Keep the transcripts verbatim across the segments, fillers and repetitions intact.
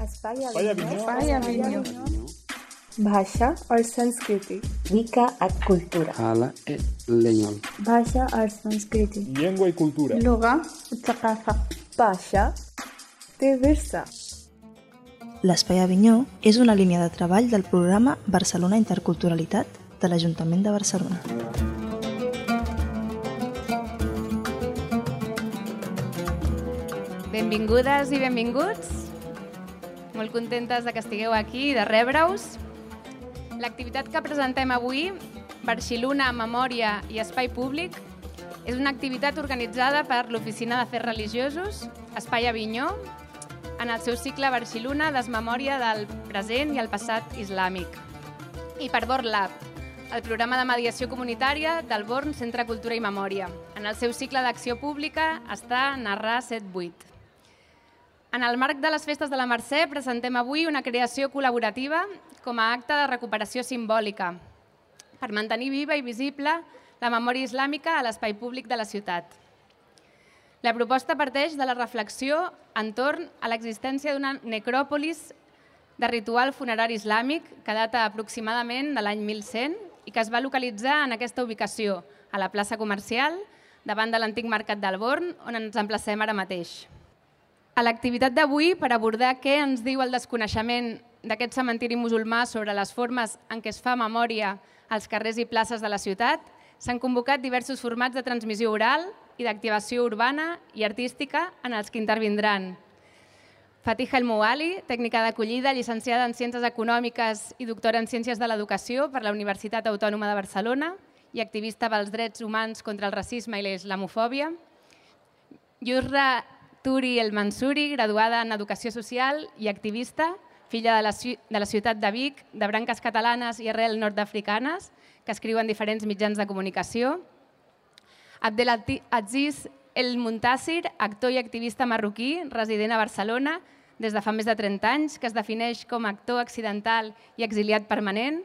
Espai Avinyó. भाषा और संस्कृति Mica a cultura. Hala e leñol. भाषा और संस्कृति Llengua y cultura. اللغة والثقافة भाषा de Versa. L'Espai Avinyó és una línia de treball del programa Barcelona Interculturalitat de l'Ajuntament de Barcelona. Benvingudes i benvinguts. Molt contentes de que estigueu aquí i de rebre-us. L'activitat que presentem avui, Barxiluna, Memòria i Espai Públic, és una activitat organitzada per l'Oficina d'Afers Religiosos, Espai Avinyó, en el seu cicle Barxiluna, Desmemòria del present i el passat islàmic. I per BORLab, el programa de mediació comunitària del Born Centre Cultura i Memòria. En el seu cicle d'acció pública està Narrar set vuit. En el marc de les festes de la Mercè presentem avui una creació col·laborativa com a acte de recuperació simbòlica per mantenir viva i visible la memòria islàmica a l'espai públic de la ciutat. La proposta parteix de la reflexió entorn a l'existència d'una necròpolis de ritual funerari islàmic que data aproximadament de l'any mil cent i que es va localitzar en aquesta ubicació, a la plaça comercial, davant de l'antic mercat del Born, on ens emplacem ara mateix. A l'activitat d'avui, per abordar què ens diu el desconeixement d'aquest cementiri musulmà sobre les formes en què es fa memòria als carrers i places de la ciutat, s'han convocat diversos formats de transmissió oral i d'activació urbana i artística en els que intervindran Fatiha El Mouali, tècnica d'acollida, llicenciada en Ciències Econòmiques i doctora en Ciències de l'Educació per la Universitat Autònoma de Barcelona i activista pels drets humans contra el racisme i la islamofòbia. Yusra Turi El Mansuri, graduada en Educació Social i activista, filla de la, de la ciutat de Vic, de branques catalanes i arrel nord-africanes, que escriu en diferents mitjans de comunicació. Abdelaziz El Muntasir, actor i activista marroquí, resident a Barcelona des de fa més de trenta anys, que es defineix com a actor accidental i exiliat permanent.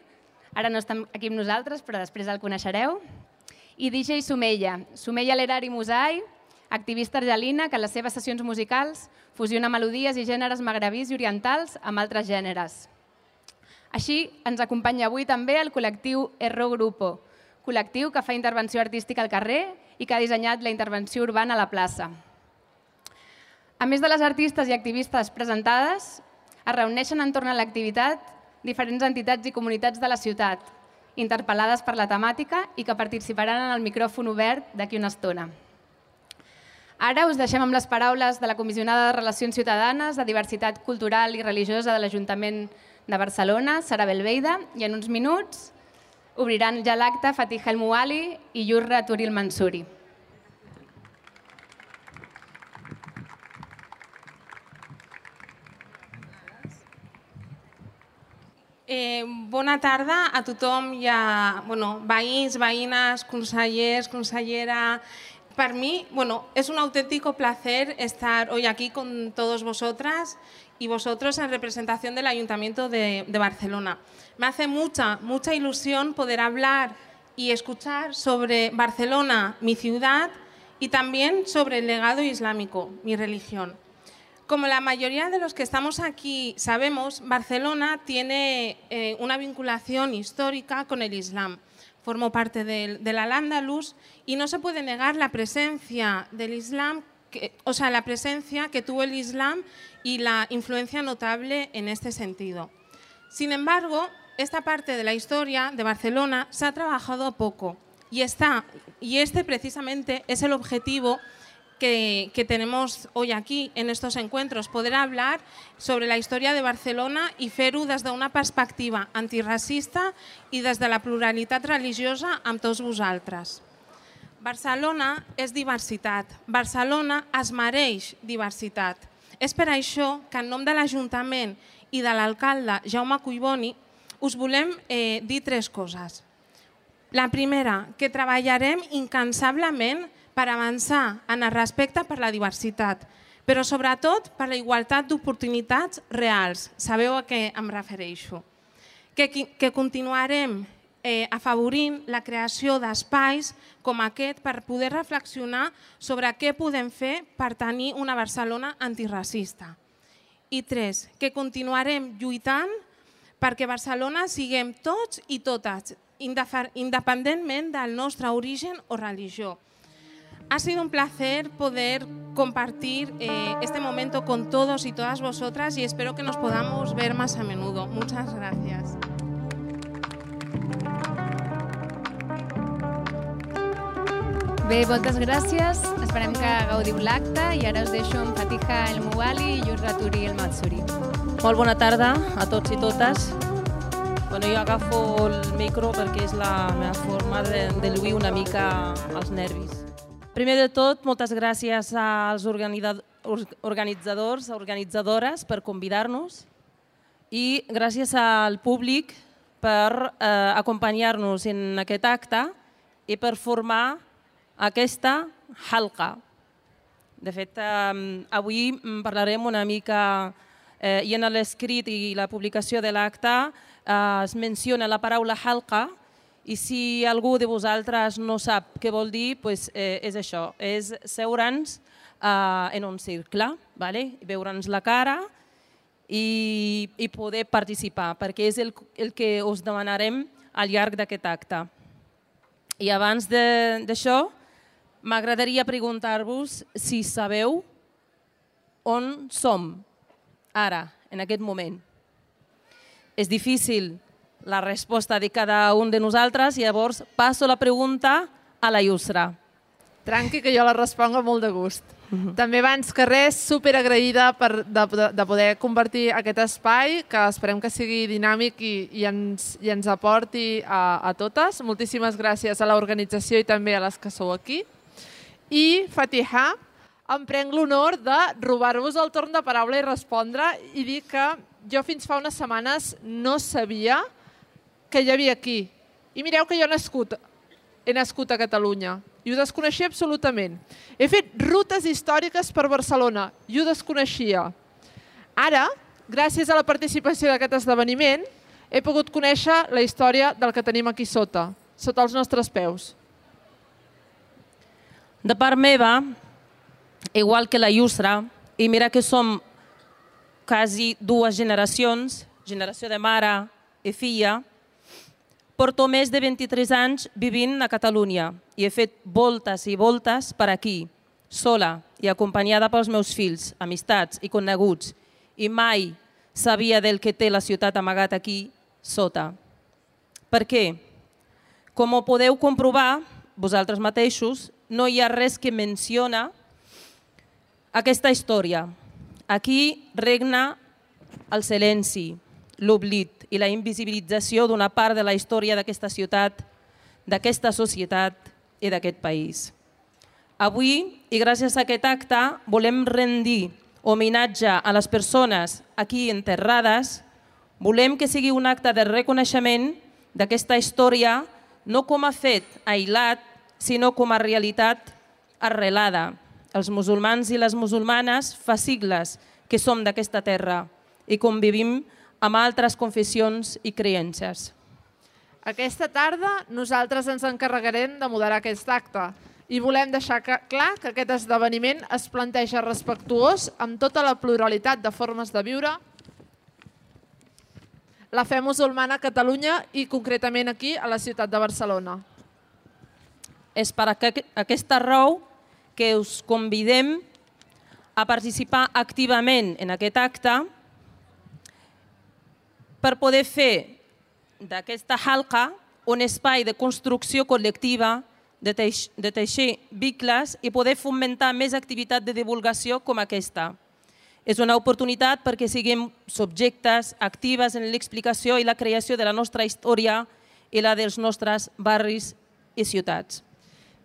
Ara no està aquí amb nosaltres, però després el coneixereu. I D J Sumeya, Sumeya Lerari Musai, activista argelina que en les seves sessions musicals fusiona melodies i gèneres magrebís i orientals amb altres gèneres. Així, ens acompanya avui també el col·lectiu Erro Grupo, col·lectiu que fa intervenció artística al carrer i que ha dissenyat la intervenció urbana a la plaça. A més de les artistes i activistes presentades, es reuneixen entorn a l'activitat diferents entitats i comunitats de la ciutat, interpel·lades per la temàtica i que participaran en el micròfon obert d'aquí una estona. Ara us deixem amb les paraules de la comissionada de Relacions Ciutadanes de Diversitat Cultural i Religiosa de l'Ajuntament de Barcelona, Sara Belveida, i en uns minuts obriran ja l'acte Fatiha El Mouali i Yusra Turi El Mansuri. Eh, bona tarda a tothom i a bueno, veïns, veïnes, consellers, consellera. Para mí, bueno, es un auténtico placer estar hoy aquí con todos vosotras y vosotros en representación del Ayuntamiento de, de Barcelona. Me hace mucha, mucha ilusión poder hablar y escuchar sobre Barcelona, mi ciudad, y también sobre el legado islámico, mi religión. Como la mayoría de los que estamos aquí sabemos, Barcelona tiene eh, una vinculación histórica con el Islam. Formo parte del, del Al-Ándalus y no se puede negar la presencia del Islam, que, o sea, la presencia que tuvo el Islam y la influencia notable en este sentido. Sin embargo, esta parte de la historia de Barcelona se ha trabajado poco y, está, y este precisamente es el objetivo Que, que tenemos hoy aquí en estos encuentros, poder hablar sobre la història de Barcelona i fer-ho des d'una perspectiva antiracista i des de la pluralitat religiosa amb tots vosaltres. Barcelona és diversitat, Barcelona es mereix diversitat. És per això que en nom de l'Ajuntament i de l'alcalde Jaume Collboni us volem eh, dir tres coses. La primera, que treballarem incansablement per avançar en el respecte per la diversitat, però sobretot per la igualtat d'oportunitats reals. Sabeu a què em refereixo. Que, que continuarem eh, afavorint la creació d'espais com aquest per poder reflexionar sobre què podem fer per tenir una Barcelona antiracista. I tres, que continuarem lluitant perquè Barcelona siguem tots i totes, independentment del nostre origen o religió. Ha sido un placer poder compartir eh, este momento con todos y todas vosotras y espero que nos podamos ver más a menudo. Muchas gracias. Bé, moltes gràcies. Esperem que gaudiu l'acte i ara us deixo amb Fatiha El Mouali i Yusra Turi El Matsuri. Molt bona tarda a tots i totes. Bueno, jo agafo el micro perquè és la meva forma de, de lluir una mica els nervis. Primer de tot, moltes gràcies als organitzadors, organitzadores per convidar-nos i gràcies al públic per eh, acompanyar-nos en aquest acte i per formar aquesta halqa. De fet, eh, avui parlarem una mica, eh, i en l'escrit i la publicació de l'acte eh, es menciona la paraula halqa, i si algú de vosaltres no sap què vol dir, doncs, eh, és això, és seure'ns eh, en un cercle, vale? Veure'ns la cara i, i poder participar, perquè és el, el que us demanarem al llarg d'aquest acte. I abans d'això, m'agradaria preguntar-vos si sabeu on som ara, en aquest moment. És difícil la resposta de cada un de nosaltres i llavors passo la pregunta a la Yusra. Tranqui, que jo la responc amb molt de gust. Uh-huh. També abans que res, superagraïda per, de, de poder convertir aquest espai, que esperem que sigui dinàmic i, i, ens, i ens aporti a, a totes. Moltíssimes gràcies a l'organització i també a les que sou aquí. I, Fatiha, em prenc l'honor de robar-vos el torn de paraula i respondre i dir que jo fins fa unes setmanes no sabia que hi havia aquí. I mireu que jo he nascut, he nascut a Catalunya i ho desconeixia absolutament. He fet rutes històriques per Barcelona i ho desconeixia. Ara, gràcies a la participació d'aquest esdeveniment, he pogut conèixer la història del que tenim aquí sota, sota els nostres peus. De part meva, igual que la Yusra, i mira que som quasi dues generacions, generació de mare i filla, porto més de vint-i-tres anys vivint a Catalunya i he fet voltes i voltes per aquí, sola i acompanyada pels meus fills, amistats i coneguts, i mai sabia del que té la ciutat amagat aquí sota. Per què? Com ho podeu comprovar, vosaltres mateixos, no hi ha res que menciona aquesta història. Aquí regna el silenci, l'oblit i la invisibilització d'una part de la història d'aquesta ciutat, d'aquesta societat i d'aquest país. Avui, i gràcies a aquest acte, volem rendir homenatge a les persones aquí enterrades, volem que sigui un acte de reconeixement d'aquesta història no com a fet aïllat, sinó com a realitat arrelada. Els musulmans i les musulmanes fa sigles que som d'aquesta terra i convivim amb altres confessions i creences. Aquesta tarda nosaltres ens encarregarem de moderar aquest acte i volem deixar clar que aquest esdeveniment es planteja respectuós amb tota la pluralitat de formes de viure la fe musulmana a Catalunya i concretament aquí a la ciutat de Barcelona. És per aquesta raó que us convidem a participar activament en aquest acte per poder fer d'aquesta halqa un espai de construcció col·lectiva, de, teix de teixir vincles i poder fomentar més activitat de divulgació com aquesta. És una oportunitat perquè siguem subjectes actives en l'explicació i la creació de la nostra història i la dels nostres barris i ciutats.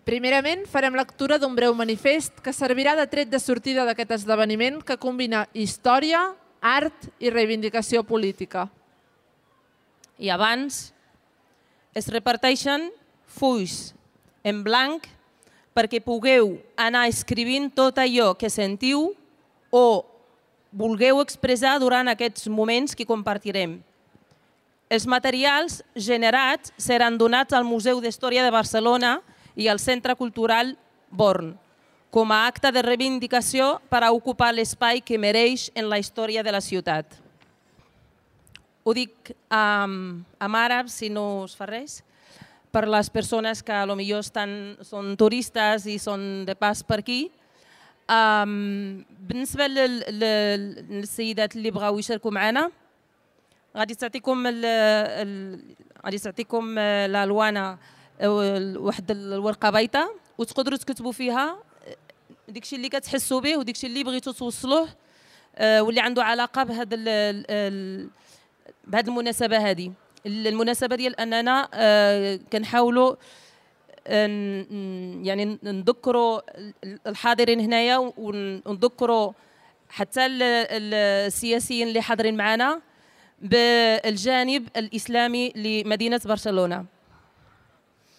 Primerament, farem lectura d'un breu manifest que servirà de tret de sortida d'aquest esdeveniment que combina història, art i reivindicació política. I abans es reparteixen fulls en blanc perquè pugueu anar escrivint tot allò que sentiu o vulgueu expressar durant aquests moments que compartirem. Els materials generats seran donats al Museu d'Història de Barcelona i al Centre Cultural Born, com a acte de reivindicació per a ocupar l'espai que mereix en la història de la ciutat. Ho dic um, en àrab, si no us fa res, per les persones que potser estan, són turistes i són de pas per aquí. Um, بالنسبة للسيدات اللي بغاو يشاركوا معنا غادي تعطيكم غادي تعطيكم الالوان واحد الورقه بيضاء وتقدروا تكتبوا فيها داكشي اللي كتحسوا به وداكشي اللي بغيتوا توصلوه واللي عنده علاقه بهذا بهذه المناسبه هذه. المناسبه ديال اننا كنحاولوا يعني نذكروا الحاضرين هنايا ونذكروا حتى السياسيين اللي حاضرين معنا بالجانب الإسلامي لمدينة برشلونة.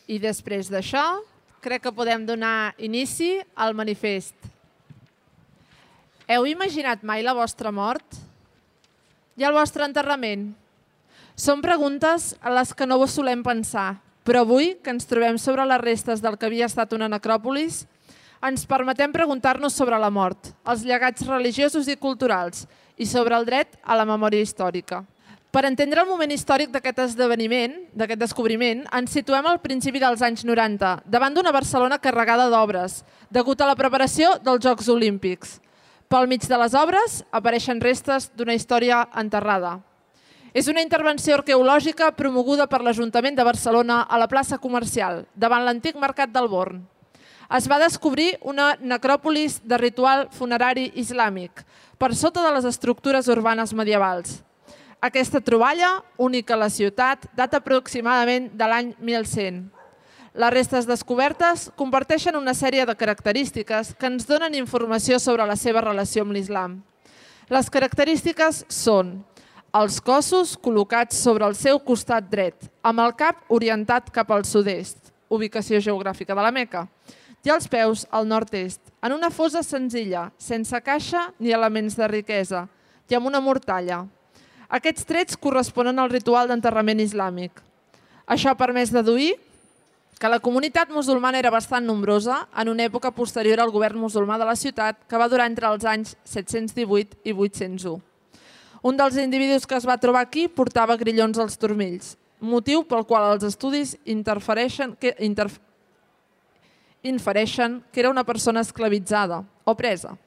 I després d'això, crec que podem donar inici al manifest. Heu imaginat mai la vostra mort? I el vostre enterrament? Són preguntes a les que no vos solem pensar, però avui, que ens trobem sobre les restes del que havia estat una necròpolis, ens permetem preguntar-nos sobre la mort, els llegats religiosos i culturals i sobre el dret a la memòria històrica. Per entendre el moment històric d'aquest esdeveniment, d'aquest descobriment, ens situem al principi dels anys noranta, davant d'una Barcelona carregada d'obres, degut a la preparació dels Jocs Olímpics. Pel mig de les obres apareixen restes d'una història enterrada. És una intervenció arqueològica promoguda per l'Ajuntament de Barcelona a la plaça comercial, davant l'antic mercat del Born. Es va descobrir una necròpolis de ritual funerari islàmic, per sota de les estructures urbanes medievals. Aquesta troballa, única a la ciutat, data aproximadament de l'any mil cent. Les restes descobertes comparteixen una sèrie de característiques que ens donen informació sobre la seva relació amb l'islam. Les característiques són els cossos col·locats sobre el seu costat dret, amb el cap orientat cap al sud-est, ubicació geogràfica de la Meca, i els peus al nord-est, en una fosa senzilla, sense caixa ni elements de riquesa, i amb una mortalla. Aquests trets corresponen al ritual d'enterrament islàmic. Això ha permès deduir que la comunitat musulmana era bastant nombrosa en una època posterior al govern musulmà de la ciutat, que va durar entre els anys set-cents divuit i vuit-cents u. Un dels individus que es va trobar aquí portava grillons als turmells, motiu pel qual els estudis interfereixen que, interf... infereixen que era una persona esclavitzada o presa.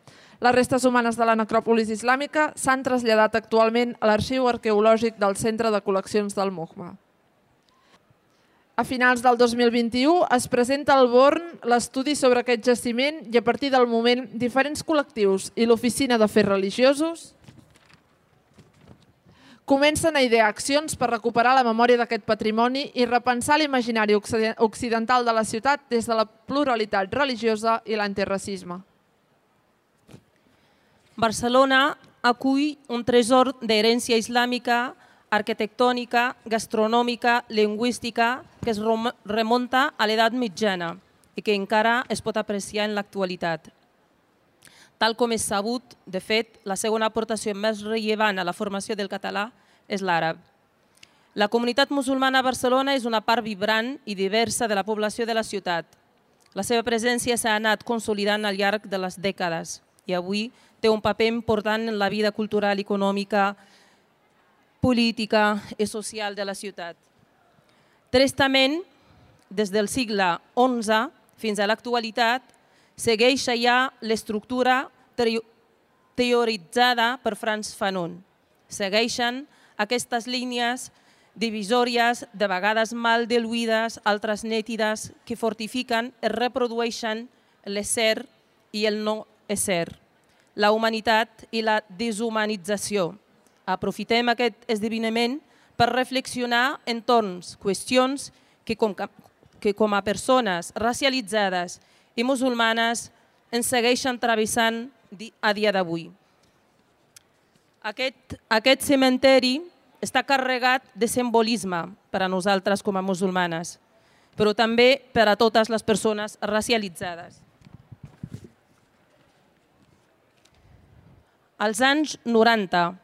Les restes humanes de la necròpolis islàmica s'han traslladat actualment a l'Arxiu Arqueològic del Centre de Col·leccions del Mujma. A finals del dos mil vint-i-u es presenta al Born l'estudi sobre aquest jaciment i a partir del moment diferents col·lectius i l'Oficina d'Afers Religiosos comencen a idear accions per recuperar la memòria d'aquest patrimoni i repensar l'imaginari occidental de la ciutat des de la pluralitat religiosa i l'antiracisme. Barcelona acull un tresor d'herència islàmica, arquitectònica, gastronòmica, lingüística, que es remunta a l'edat mitjana i que encara es pot apreciar en l'actualitat. Tal com és sabut, de fet, la segona aportació més rellevant a la formació del català és l'àrab. La comunitat musulmana a Barcelona és una part vibrant i diversa de la població de la ciutat. La seva presència s'ha anat consolidant al llarg de les dècades i avui té un paper important en la vida cultural, econòmica, política i social de la ciutat. Tristament, des del segle onze fins a l'actualitat, segueix allà l'estructura teoritzada per Frantz Fanon. Segueixen aquestes línies divisòries, de vegades mal diluïdes, altres nítides, que fortifiquen i reprodueixen l'ésser i el no ésser, la humanitat i la deshumanització. Aprofitem aquest esdeveniment per reflexionar entorn qüestions que com, que com a persones racialitzades i musulmanes ens segueixen travessant a dia d'avui. Aquest, aquest cementeri està carregat de simbolisme per a nosaltres com a musulmanes, però també per a totes les persones racialitzades. Als anys noranta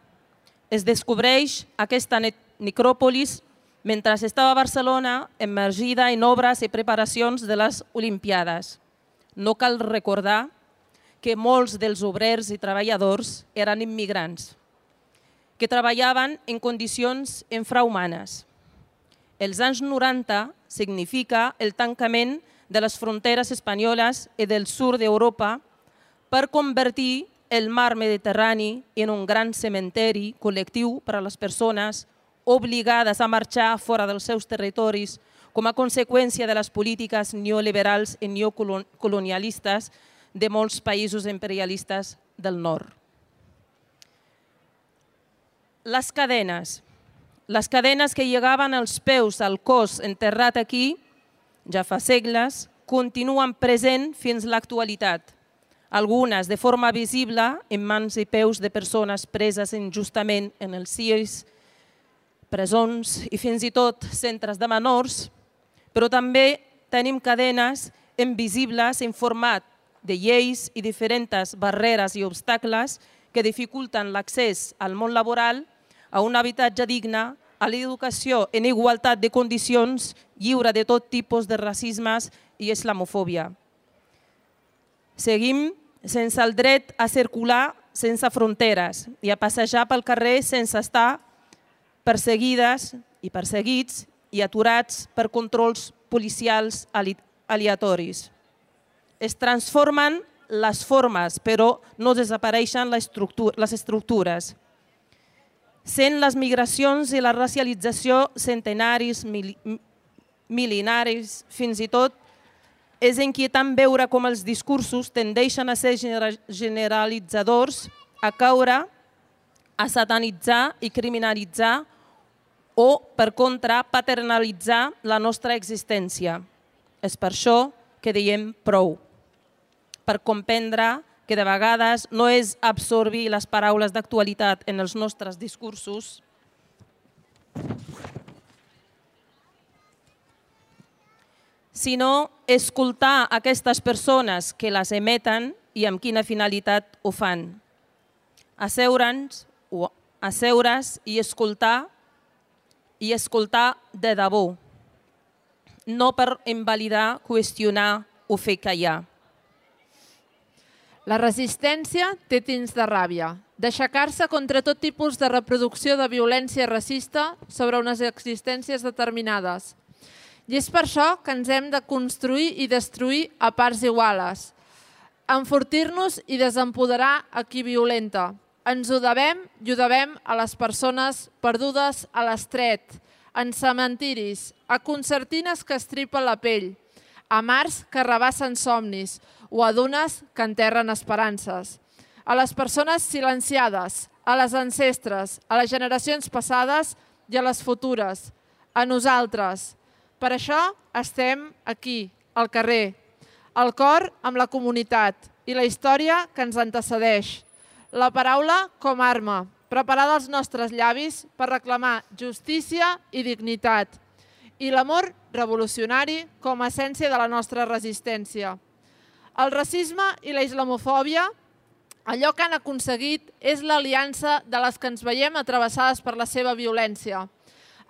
es descobreix aquesta necròpolis mentre estava a Barcelona immergida en obres i preparacions de les Olimpiades. No cal recordar que molts dels obrers i treballadors eren immigrants, que treballaven en condicions infrahumanes. Els anys noranta significa el tancament de les fronteres espanyoles i del sud d'Europa per convertir el mar Mediterrani en un gran cementeri col·lectiu per a les persones obligades a marxar fora dels seus territoris com a conseqüència de les polítiques neoliberals i neocolonialistes de molts països imperialistes del nord. Les cadenes. Les cadenes que llegaven als peus al cos enterrat aquí, ja fa segles, continuen present fins a l'actualitat. Algunes de forma visible en mans i peus de persones preses injustament en els C I S, presons i fins i tot centres de menors, però també tenim cadenes invisibles en format de lleis i diferents barreres i obstacles que dificulten l'accés al món laboral, a un habitatge digne, a l'educació en igualtat de condicions, lliure de tot tipus de racismes i islamofòbia. Seguim sense el dret a circular sense fronteres i a passejar pel carrer sense estar perseguides i perseguits i aturats per controls policials aleatoris. Es transformen les formes, però no desapareixen les estructures. Sent les migracions i la racialització centenaris, mil·lenaris, fins i tot, és inquietant veure com els discursos tendeixen a ser generalitzadors, a caure, a satanitzar i criminalitzar o, per contra, paternalitzar la nostra existència. És per això que diem prou, per comprendre que de vegades no és absorbir les paraules d'actualitat en els nostres discursos, sinó escoltar aquestes persones que les emeten i amb quina finalitat ho fan. Asseure'ns, asseure's i escoltar, i escoltar de debò, no per invalidar, qüestionar o fer callar. La resistència té tints de ràbia, d'aixecar-se contra tot tipus de reproducció de violència racista sobre unes existències determinades. I és per això que ens hem de construir i destruir a parts iguales, enfortir-nos i desempoderar a qui violenta. Ens ho devem i ho devem a les persones perdudes a l'estret, en cementiris, a concertines que estripen la pell, a mars que rebassen somnis o a dunes que enterren esperances. A les persones silenciades, a les ancestres, a les generacions passades i a les futures, a nosaltres. Per això estem aquí, al carrer, al cor amb la comunitat i la història que ens antecedeix. La paraula com a arma, preparada als nostres llavis per reclamar justícia i dignitat. I l'amor revolucionari com a essència de la nostra resistència. El racisme i la islamofòbia, allò que han aconseguit és l'aliança de les que ens veiem atravessades per la seva violència.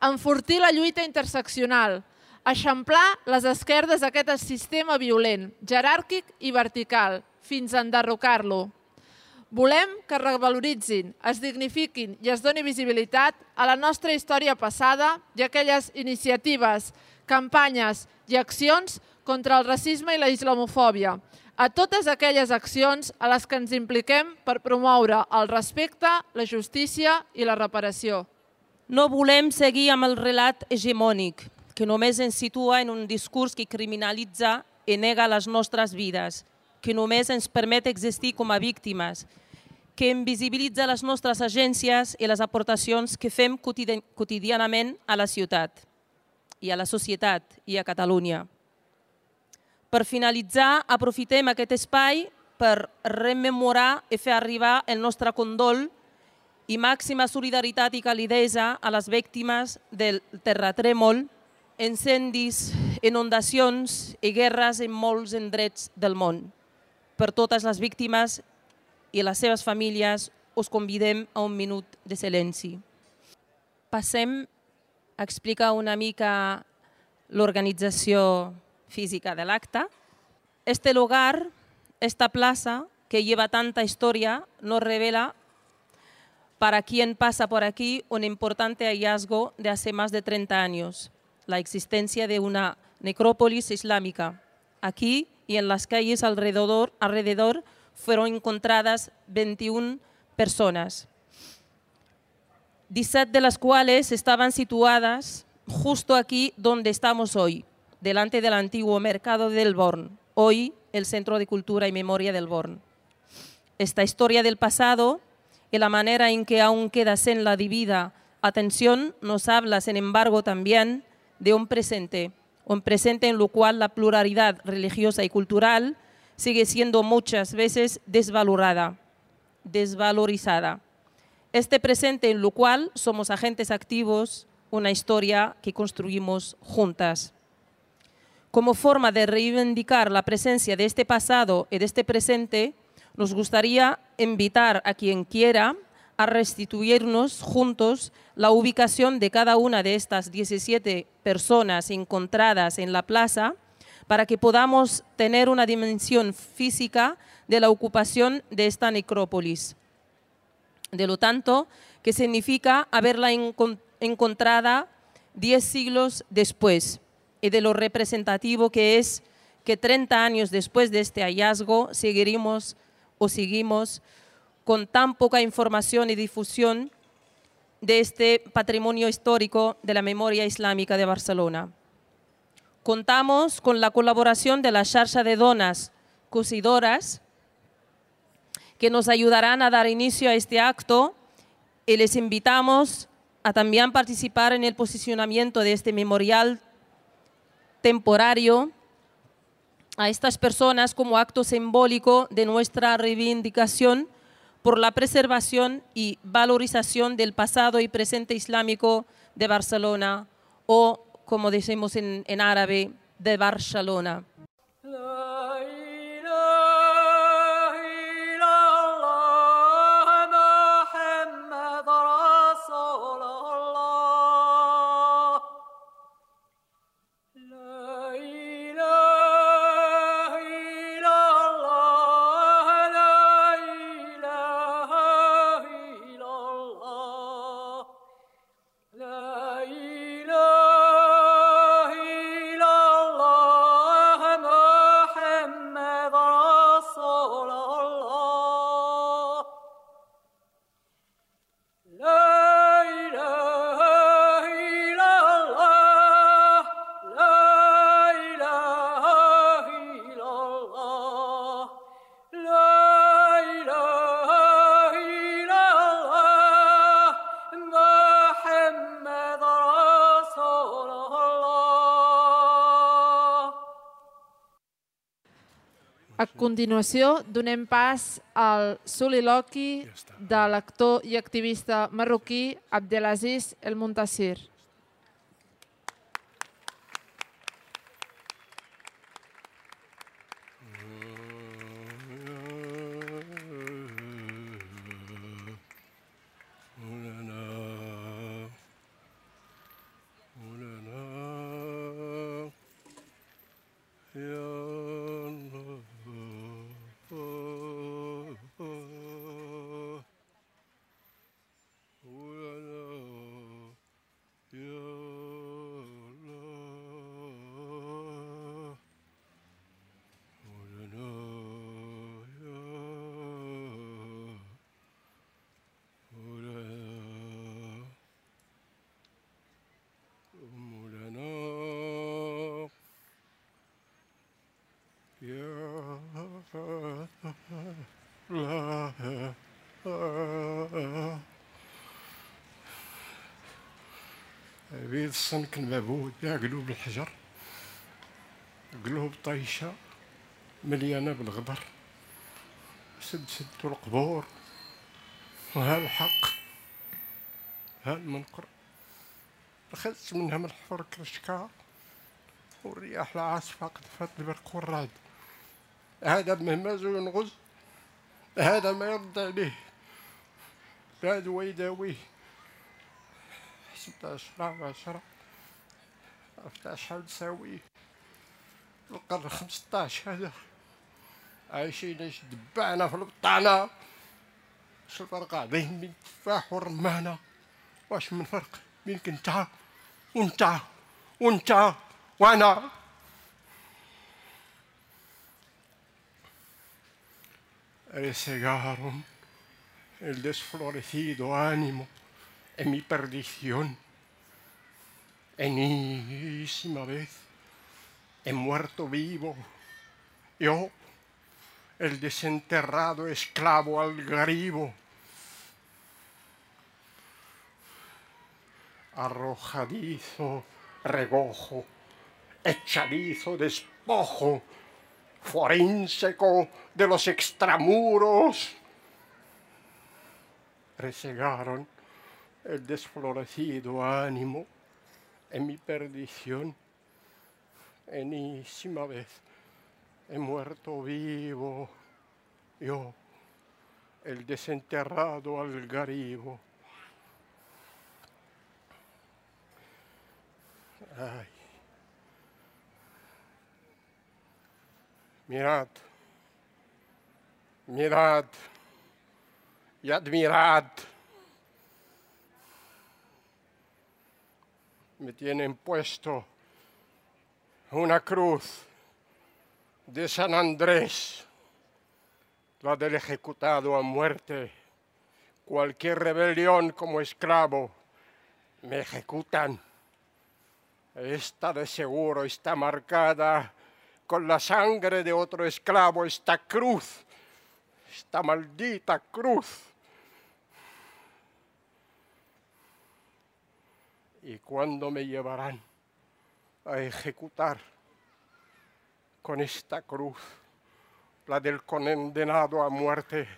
Enfortir la lluita interseccional, eixamplar les esquerdes d'aquest sistema violent, jeràrquic i vertical, fins a enderrocar-lo. Volem que revaloritzin, es dignifiquin i es doni visibilitat a la nostra història passada i a aquelles iniciatives, campanyes i accions contra el racisme i la islamofòbia, a totes aquelles accions a les que ens impliquem per promoure el respecte, la justícia i la reparació. No volem seguir amb el relat hegemònic, que només ens situa en un discurs que criminalitza i nega les nostres vides, que només ens permet existir com a víctimes, que invisibilitza les nostres agències i les aportacions que fem quotidianament a la ciutat, i a la societat, i a Catalunya. Per finalitzar, aprofitem aquest espai per rememorar i fer arribar el nostre condol i màxima solidaritat i calidesa a les víctimes del terratrèmol, incendis, inundacions i guerres en molts indrets del món. Per totes les víctimes i les seves famílies us convidem a un minut de silenci. Passem a explicar una mica l'organització física de l'acte. Este lugar, esta plaça, que lleva tanta historia nos revela para quien pasa por aquí un importante hallazgo de hace más de treinta años, la existencia de una necrópolis islámica. Aquí y en las calles alrededor, alrededor fueron encontradas veintiuna personas, diecisiete de las cuales estaban situadas justo aquí donde estamos hoy, delante del antiguo mercado del Born, hoy el Centro de Cultura y Memoria del Born. Esta historia del pasado y la manera en que aún queda en la debida atención nos habla, sin embargo, también de un presente, un presente en lo cual la pluralidad religiosa y cultural sigue siendo muchas veces desvalorada, desvalorizada. Este presente en lo cual somos agentes activos, una historia que construimos juntas. Como forma de reivindicar la presencia de este pasado y de este presente, nos gustaría invitar a quien quiera a restituirnos juntos la ubicación de cada una de estas diecisiete personas encontradas en la plaza para que podamos tener una dimensión física de la ocupación de esta necrópolis. De lo tanto, que significa haberla encont- encontrada diez siglos después, y de lo representativo que es que treinta años después de este hallazgo seguiremos o seguimos con tan poca información y difusión de este patrimonio histórico de la memoria islámica de Barcelona. Contamos con la colaboración de la xarxa de dones cosidoras que nos ayudarán a dar inicio a este acto y les invitamos a también participar en el posicionamiento de este memorial temporario a estas personas como acto simbólico de nuestra reivindicación por la preservación y valorización del pasado y presente islámico de Barcelona, o, como decimos en, en árabe, de Barcelona. A continuació, donem pas al soliloqui de l'actor i activista marroquí Abdelaziz El Montassir. بيض الصنك المعبود يا قلوب الحجر، قلوب طيشة مليانة بالغبر، سد سدوا القبور وها الحق ها المنقر، أخذت منها من الحفر كرشكا والرياح العاصفة قذفت البرق والرعد. هذا مهمز وينغز، هذا ما يرد عليه، هذا ويداويه. ستة عشر عشرة عرفت شحال تساوي القرن خمسطاش، هذا عايشين دبانة في البطانة، واش الفرق قاعدين بين التفاح والرمانة؟ واش من فرق بينك انت وانت وانت وانا؟ Resegaron el desflorecido ánimo en mi perdición. Enésima vez he muerto vivo, yo, el desenterrado esclavo algaribo, arrojadizo regojo, echadizo despojo, forínseco de los extramuros. Resegaron el desflorecido ánimo en mi perdición. Enésima vez he muerto vivo, yo, el desenterrado algaribo. Ay. Mirad, mirad y admirad. Me tienen puesto una cruz de San Andrés, la del ejecutado a muerte. Cualquier rebelión como esclavo me ejecutan. Esta de seguro está marcada con la sangre de otro esclavo, esta cruz, esta maldita cruz. ¿Y cuándo me llevarán a ejecutar con esta cruz, la del condenado a muerte?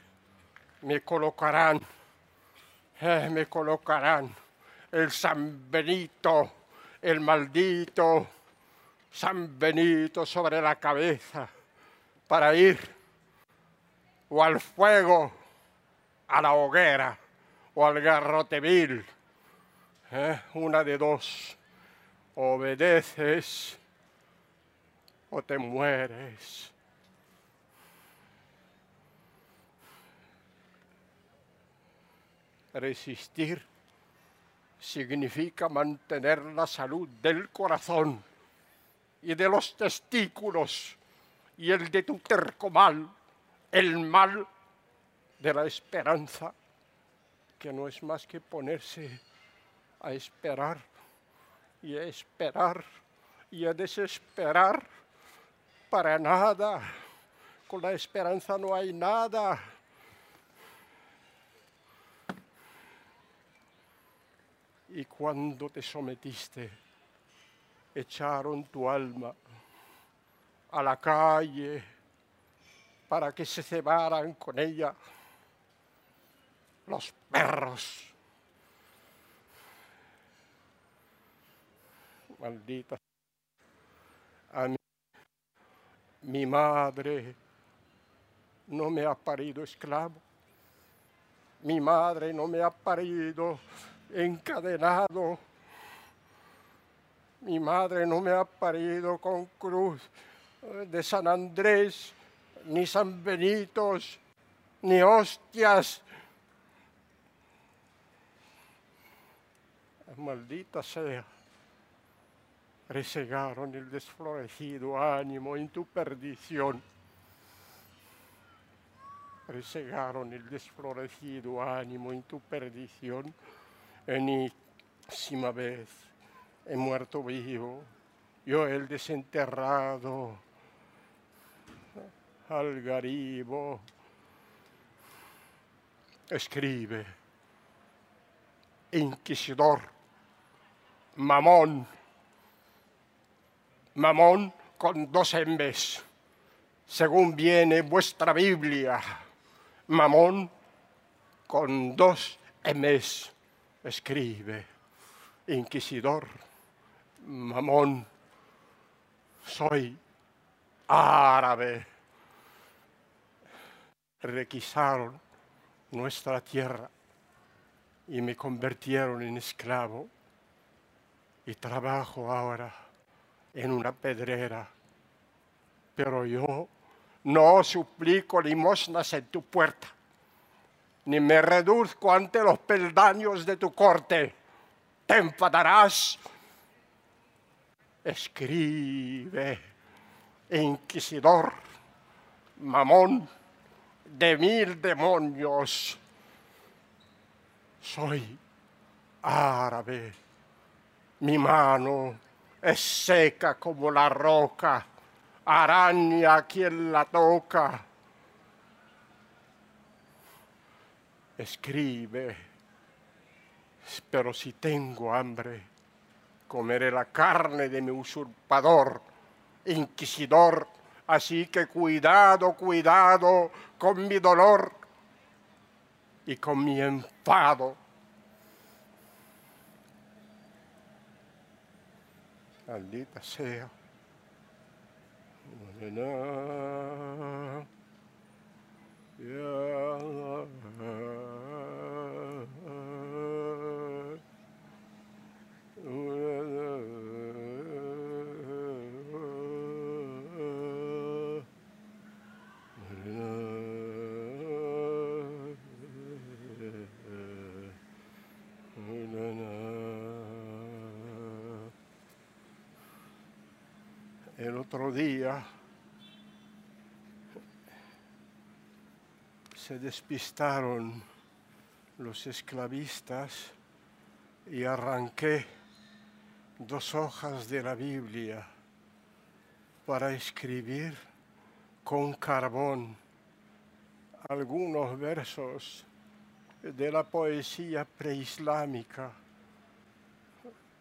Me colocarán, eh, me colocarán el San Benito, el maldito San Benito sobre la cabeza para ir o al fuego, a la hoguera o al garrote vil. ¿Eh? Una de dos, obedeces o te mueres. Resistir significa mantener la salud del corazón y de los testículos y el de tu terco mal, el mal de la esperanza, que no es más que ponerse a esperar y a esperar y a desesperar para nada. Con la esperanza no hay nada. Y cuando te sometiste, echaron tu alma a la calle para que se cebaran con ella los perros. Maldita. A mí, mi madre no me ha parido esclavo. Mi madre no me ha parido encadenado. Mi madre no me ha parido con cruz de San Andrés, ni San Benitos, ni hostias. Maldita sea. Resegaron el desflorecido ánimo en tu perdición. Resegaron el desflorecido ánimo en tu perdición. Enésima vez he muerto vivo, yo el desenterrado algaribo. Escribe, inquisidor, mamón, mamón con dos embes, según viene vuestra Biblia, mamón con dos emes. Escribe, inquisidor, mamón, soy árabe. Requisaron nuestra tierra y me convirtieron en esclavo y trabajo ahora en una pedrera, pero yo No suplico limosnas en tu puerta, ni me reduzco ante los peldaños de tu corte. Te enfadarás. Escribe, inquisidor, mamón de mil demonios. Soy árabe, mi mano es seca como la roca, araña a quien la toca. Escribe, pero si tengo hambre, comeré la carne de mi usurpador, inquisidor. Así que cuidado, cuidado con mi dolor y con mi enfado. Maldita sea. El otro día se despistaron los esclavistas y arranqué dos hojas de la Biblia para escribir con carbón algunos versos de la poesía preislámica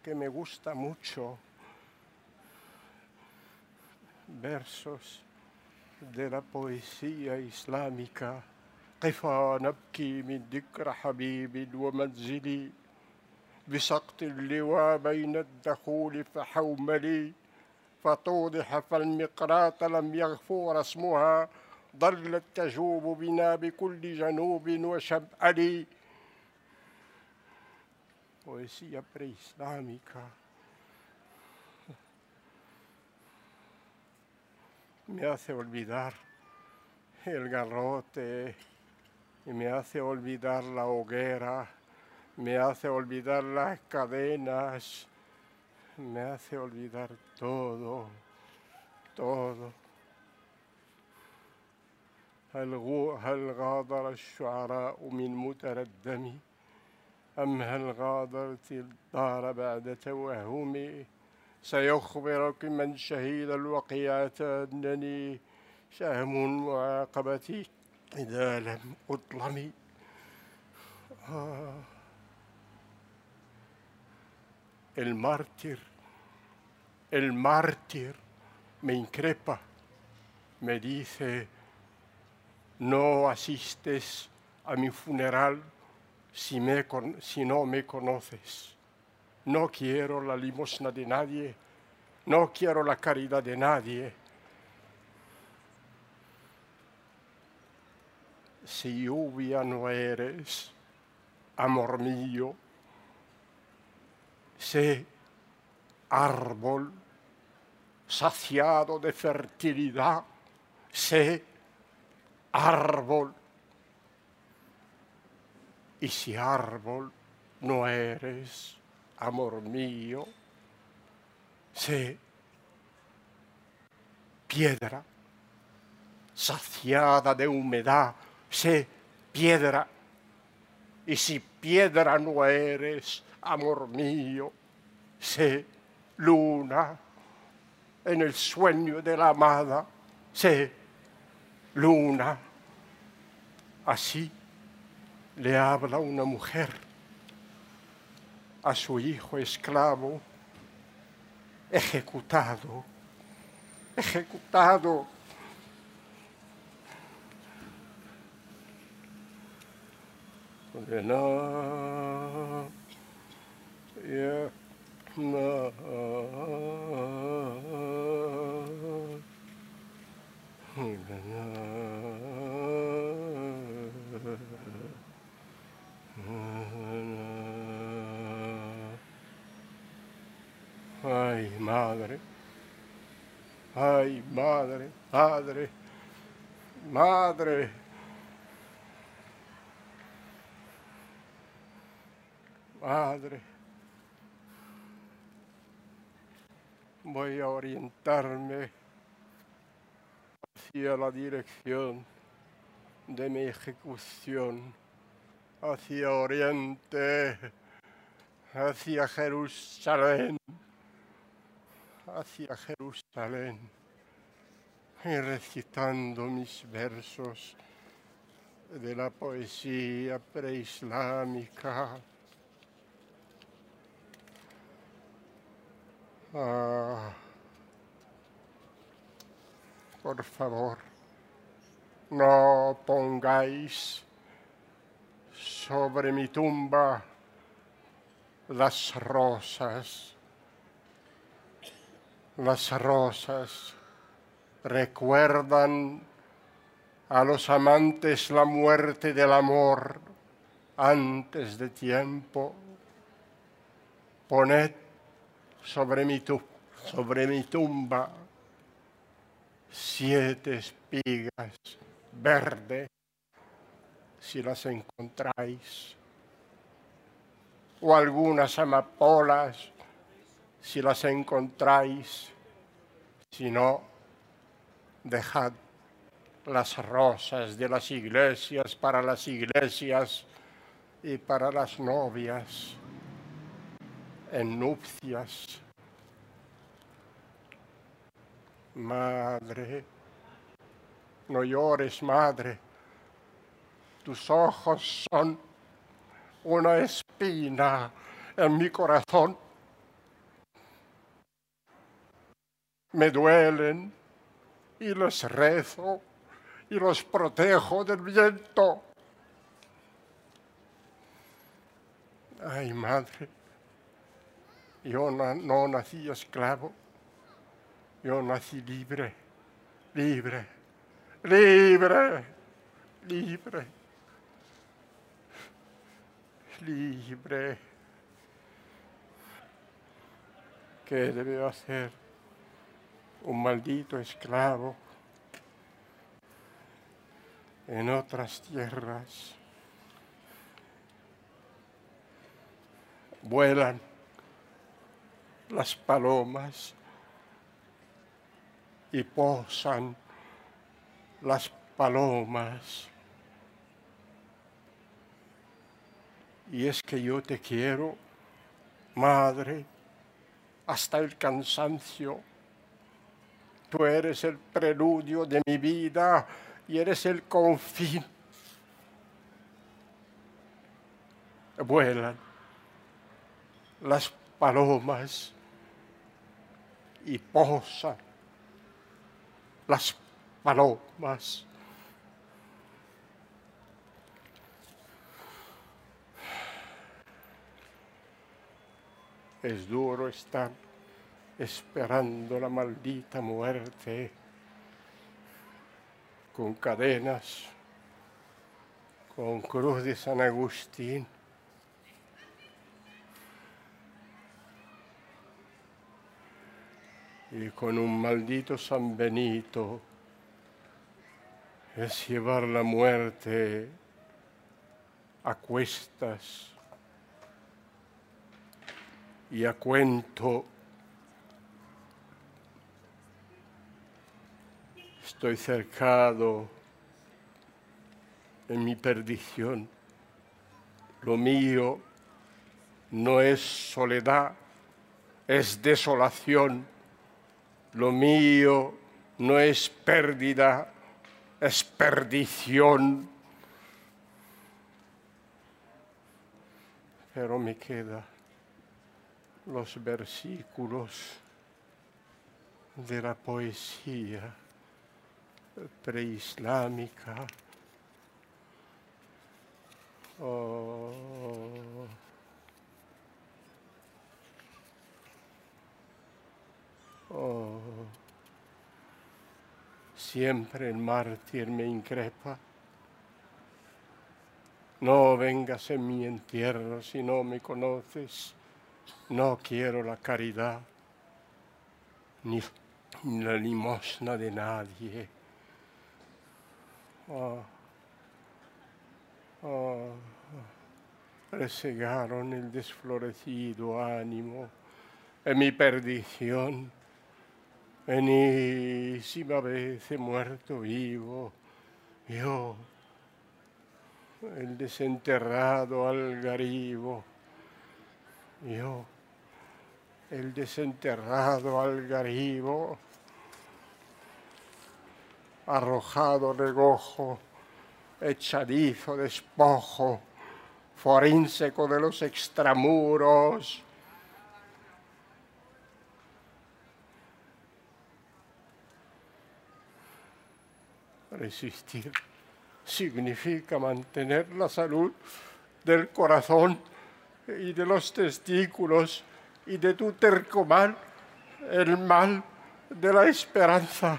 que me gusta mucho. Versos de la poesía islámica. قفا نبكي من ذكر حبيب ومنزلي بسقط اللواء بين الدخول فحوملي فتوضح فالمقراط لم يغفو رسمها ظلت تجوب بنا بكل جنوب وشمألي. Poesía preislámica. Me hace olvidar el garrote, y me hace olvidar la hoguera, me hace olvidar las cadenas, me hace olvidar todo, todo. هل هل غادر الشعراء من متردمي أم هل غادرت الدار بعد توهمي؟ سيخبرك من شهد الوقيات أنني شهم معاقبتي إذا لم أظلم. آه. El mártir, el mártir me increpa, me dice, no asistes a mi funeral si, me, si no me conoces. No quiero la limosna de nadie, no quiero la caridad de nadie. Si lluvia no eres, amor mío, sé árbol saciado de fertilidad, sé árbol. Y si árbol no eres, amor mío, sé piedra saciada de humedad, sé piedra. Y si piedra no eres, amor mío, sé luna en el sueño de la amada, sé luna. Así le habla una mujer a su hijo esclavo, ejecutado, ejecutado. No, yeah, no. Ay, madre, ay, madre, padre, Madre, madre, voy a orientarme hacia la dirección de mi ejecución, hacia Oriente, hacia Jerusalén, hacia Jerusalén, y recitando mis versos de la poesía preislámica. Ah, por favor, no pongáis sobre mi tumba las rosas. Las rosas recuerdan a los amantes la muerte del amor antes de tiempo. Poned sobre mi, tu- sobre mi tumba siete espigas verdes, si las encontráis, o algunas amapolas, si las encontráis. Si no, dejad las rosas de las iglesias para las iglesias y para las novias en nupcias. Madre, no llores, madre. Tus ojos son una espina en mi corazón. Me duelen y los rezo y los protejo del viento. Ay, madre, yo no, no nací esclavo, yo nací libre, libre, libre, libre, libre. ¿Qué debe hacer un maldito esclavo en otras tierras? Vuelan las palomas y posan las palomas. Y es que yo te quiero, madre, hasta el cansancio. Tú eres el preludio de mi vida y eres el confín. Vuelan las palomas y posan las palomas. Es duro estar esperando la maldita muerte con cadenas, con cruz de San Agustín. Y con un maldito San Benito es llevar la muerte a cuestas y a cuento. Estoy cercado en mi perdición. Lo mío no es soledad, es desolación. Lo mío no es pérdida, es perdición. Pero me quedan los versículos de la poesía preislámica. Oh. Oh. Siempre el mártir me increpa. No vengas en mi entierro si no me conoces. No quiero la caridad ni, ni la limosna de nadie. oh, oh, resegaron el desflorecido ánimo en mi perdición. Enésima vez he muerto vivo, yo, el desenterrado algaribo, yo, el desenterrado algaribo, arrojado regojo, echadizo despojo, forínseco de los extramuros. Resistir significa mantener la salud del corazón y de los testículos y de tu terco mal, el mal de la esperanza.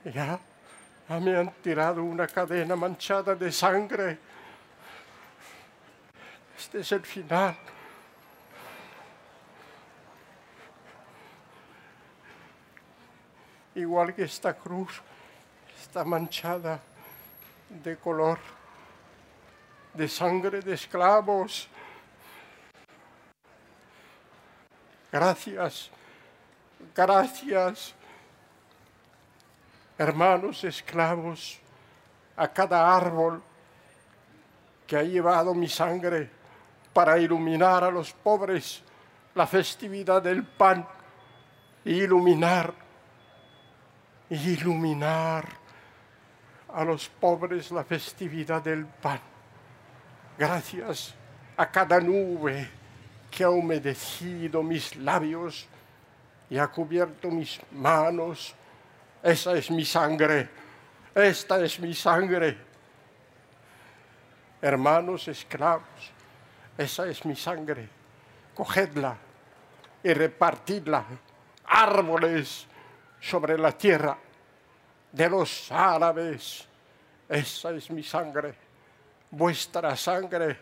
Ya, ya me han tirado una cadena manchada de sangre. Este es el final. Igual que esta cruz está manchada de color, de sangre de esclavos. Gracias, gracias, hermanos esclavos, a cada árbol que ha llevado mi sangre para iluminar a los pobres la festividad del pan, e iluminar, iluminar a los pobres la festividad del pan. Gracias a cada nube que ha humedecido mis labios y ha cubierto mis manos. Esa es mi sangre, esta es mi sangre. Hermanos esclavos, esa es mi sangre. Cogedla y repartidla, árboles sobre la tierra de los árabes. Esa es mi sangre, vuestra sangre,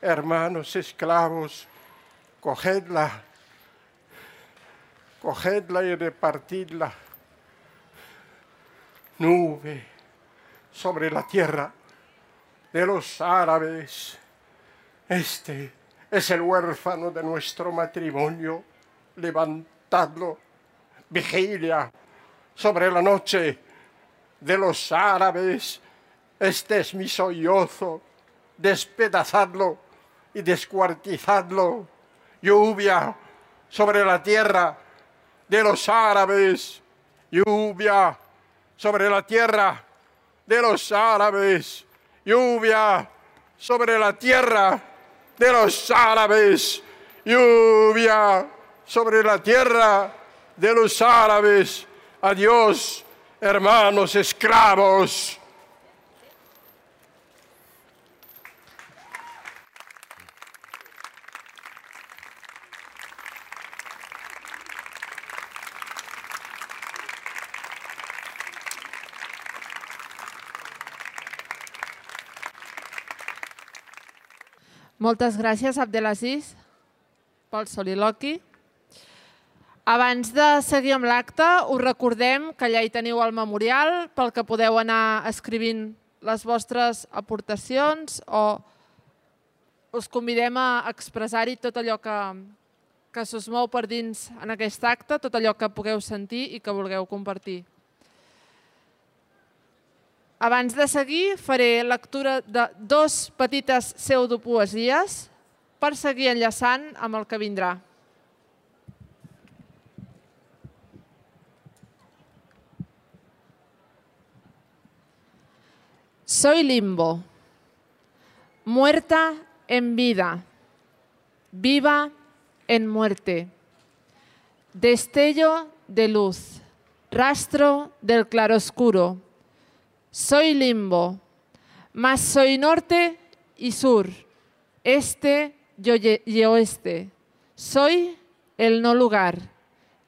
hermanos esclavos. Cogedla, cogedla y repartidla. Nube sobre la tierra de los árabes. Este es el huérfano de nuestro matrimonio. Levantadlo. Vigilia sobre la noche de los árabes. Este es mi sollozo. Despedazadlo y descuartizadlo. Lluvia sobre la tierra de los árabes. Lluvia sobre la tierra de los árabes. Lluvia sobre la tierra de los árabes. Lluvia sobre la tierra de los árabes. Adiós, hermanos esclavos. Moltes gràcies, Abdelaziz, pel soliloqui. Abans de seguir amb l'acte, us recordem que allà hi teniu el memorial pel que podeu anar escrivint les vostres aportacions o us convidem a expressar-hi tot allò que, que s'us mou per dins en aquest acte, tot allò que pugueu sentir i que vulgueu compartir. Abans de seguir, faré lectura de dos petites pseudopoesies per seguir enllaçant amb el que vindrà. Soy limbo, muerta en vida, viva en muerte, destello de luz, rastro del claroscuro. Soy limbo, mas soy norte y sur, este y oeste. Soy el no lugar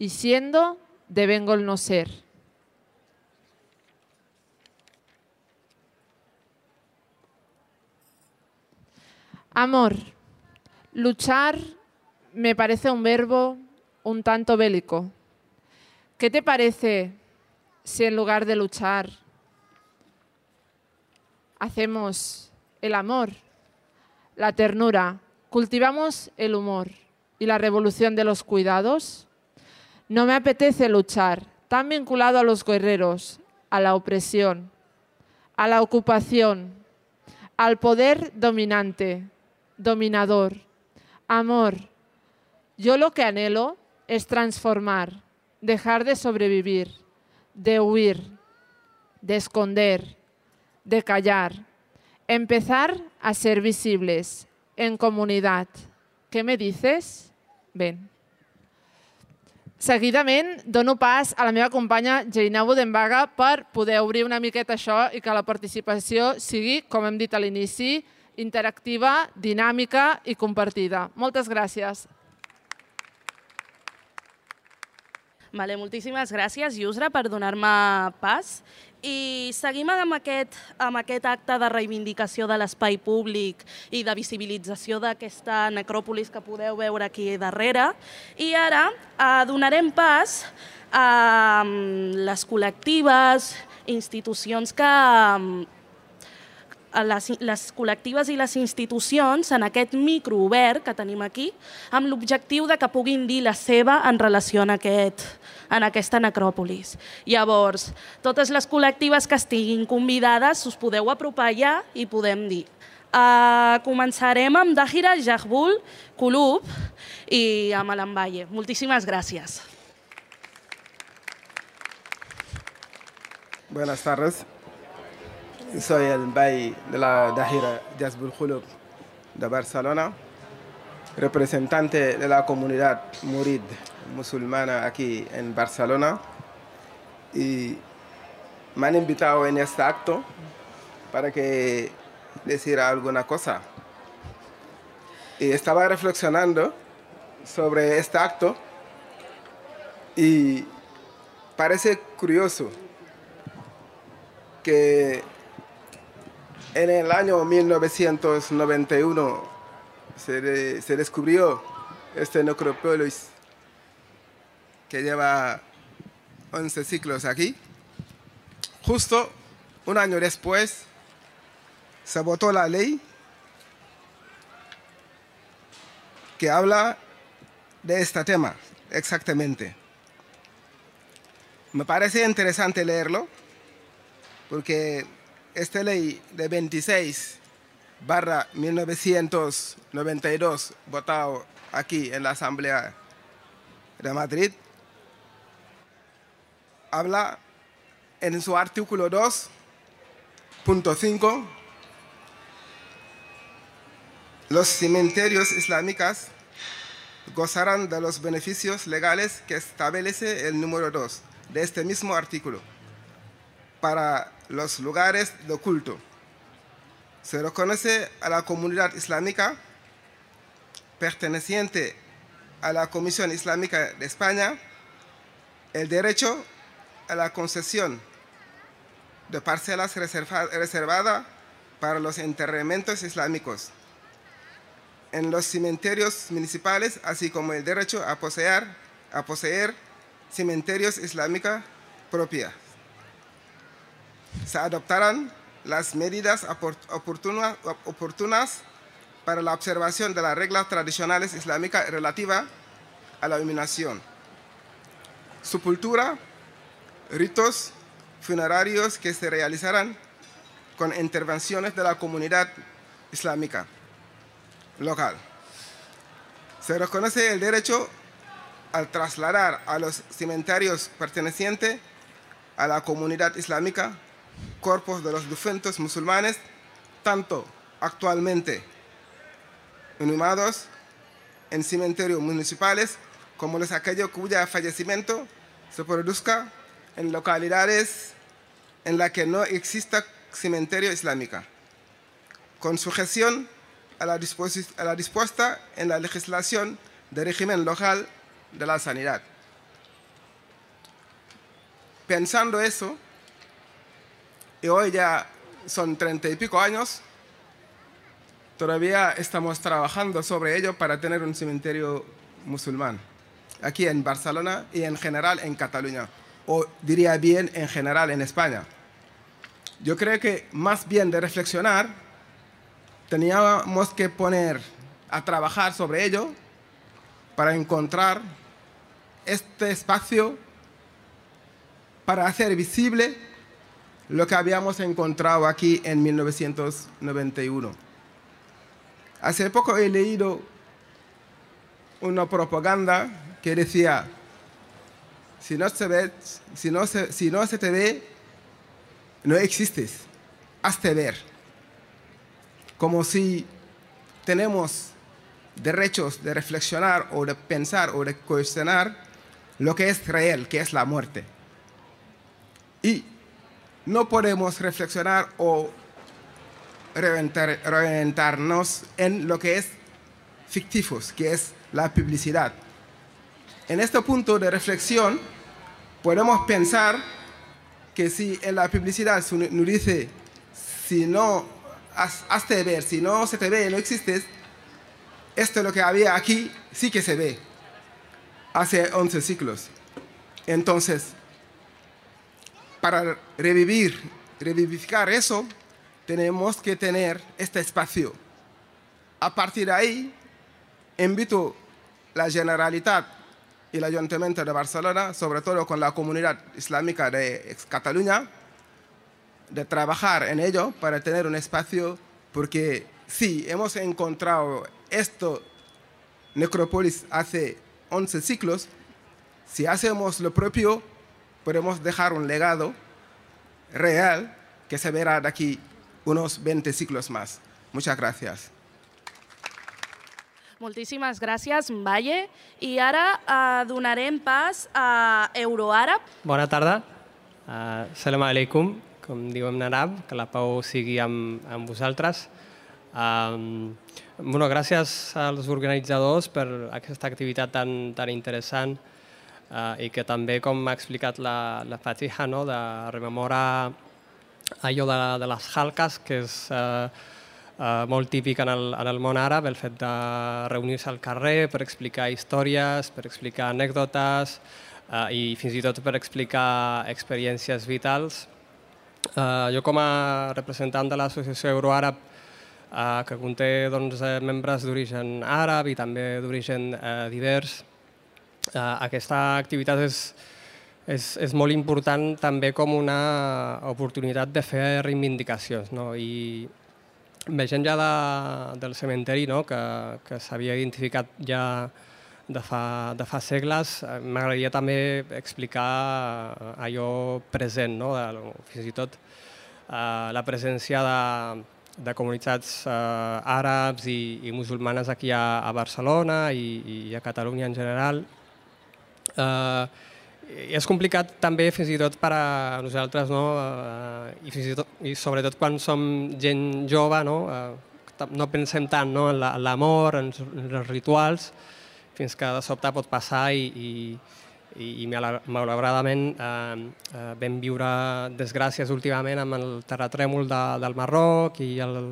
y siendo devengo el no ser. Amor. Luchar me parece un verbo un tanto bélico. ¿Qué te parece si en lugar de luchar hacemos el amor, la ternura, cultivamos el humor y la revolución de los cuidados. No me apetece luchar, tan vinculado a los guerreros, a la opresión, a la ocupación, al poder dominante, dominador. Amor, yo lo que anhelo es transformar, dejar de sobrevivir, de huir, de esconder, de callar, empezar a ser visibles, en comunitat. Què me dices? Ben. Seguidament, dono pas a la meva companya Geina Budenbaga per poder obrir una miqueta això i que la participació sigui, com hem dit a l'inici, interactiva, dinàmica i compartida. Moltes gràcies. Vale, moltíssimes gràcies, Yusra, per donar-me pas. I seguim amb aquest, amb aquest acte de reivindicació de l'espai públic i de visibilització d'aquesta necròpolis que podeu veure aquí darrere. I ara eh, donarem pas a les col·lectives, institucions que... Les, les col·lectives i les institucions en aquest microobert que tenim aquí amb l'objectiu de que puguin dir la seva en relació a aquest, en aquesta necròpolis. Llavors, totes les col·lectives que estiguin convidades us podeu apropar ja i podem dir. Uh, començarem amb Dahira Jahbul Kulub i amb l'Ambaye. Moltíssimes gràcies. Buenas tardes. Soy el Bay de la Dahira Jahbul Kulub de Barcelona, representante de la comunidad murid musulmana aquí en Barcelona, y me han invitado en este acto para que decir alguna cosa. Y estaba reflexionando sobre este acto y parece curioso que en el año mil novecientos noventa y uno se, de, se descubrió este necrópolis que lleva once siglos aquí. Justo un año después se votó la ley que habla de este tema exactamente. Me parece interesante leerlo porque esta ley de veintiséis barra mil novecientos noventa y dos, votado aquí en la Asamblea de Madrid, habla en su artículo dos punto cinco, los cementerios islámicos gozarán de los beneficios legales que establece el número dos de este mismo artículo para los lugares de culto. Se reconoce a la comunidad islámica perteneciente a la Comisión Islámica de España el derecho a la concesión de parcelas reservadas para los enterramientos islámicos en los cementerios municipales, así como el derecho a poseer, a poseer cementerios islámicos propios. Se adoptarán las medidas oportunas, oportunas para la observación de las reglas tradicionales islámicas relativas a la iluminación, sepultura, ritos funerarios que se realizarán con intervenciones de la comunidad islámica local. Se reconoce el derecho al trasladar a los cementerios pertenecientes a la comunidad islámica cuerpos de los difuntos musulmanes, tanto actualmente inhumados en cementerios municipales como los aquellos cuyo fallecimiento se produzca en localidades en las que no exista cementerio islámico, con sujeción a la, a la dispuesta en la legislación del régimen local de la sanidad. Pensando eso, y hoy ya son treinta y pico años, todavía estamos trabajando sobre ello para tener un cementerio musulmán aquí en Barcelona y en general en Cataluña, o diría bien en general en España. yo creo que más bien de reflexionar, teníamos que poner a trabajar sobre ello para encontrar este espacio para hacer visible lo que habíamos encontrado aquí en mil novecientos noventa y uno. Hace poco he leído una propaganda que decía, si no se ve, si no se, si no se te ve, no existes, hazte ver. Como si tenemos derechos de reflexionar o de pensar o de cuestionar lo que es real, que es la muerte. Y no podemos reflexionar o reventar, reventarnos en lo que es ficticios, que es la publicidad. En este punto de reflexión podemos pensar que si en la publicidad nos dice si no haz, hazte ver, si no se te ve, no existes, esto es lo que había aquí, sí que se ve, hace once siglos. Entonces, para revivir, revivificar eso, tenemos que tener este espacio. A partir de ahí, invito a la Generalitat y el Ayuntamiento de Barcelona, sobre todo con la comunidad islámica de Cataluña, de trabajar en ello para tener un espacio, porque sí, hemos encontrado esto, necrópolis, hace once siglos. Si hacemos lo propio, podemos dejar un legado real que se verá de aquí unos veinte siglos más. Muchas gracias. Moltíssimes gràcies, Mbaye. I ara eh, donarem pas a Euroàrab. Bona tarda. Uh, Salam alaikum, com diuen en àrab, que la pau sigui amb, amb vosaltres. Um, bueno, gràcies als organitzadors per aquesta activitat tan, tan interessant uh, i que també, com ha explicat la, la Fatiha, no, de rememorar allò de, de les halques, que és uh, Uh, molt típic en el, en el món àrab, el fet de reunir-se al carrer per explicar històries, per explicar anècdotes uh, i fins i tot per explicar experiències vitals. Uh, jo com a representant de l'associació Euroàrab, uh, que conté doncs, membres d'origen àrab i també d'origen uh, divers, uh, aquesta activitat és, és, és molt important també com una oportunitat de fer reivindicacions, no? I veient ja de, del cementeri, no, que, que s'havia identificat ja de fa, de fa segles, m'agradaria també explicar allò present, no, de, fins i tot eh, la presència de, de comunitats eh, àrabs i, i musulmanes aquí a, a Barcelona i, i a Catalunya en general. Eh, I és complicat també fins i tot per a nosaltres, no? I, fins i, tot, i sobretot quan som gent jove, no, no pensem tant, no, en l'amor, en els rituals, fins que de sobte pot passar i, i, i malauradament eh, vam viure desgràcies últimament amb el terratrèmol de, del Marroc i el,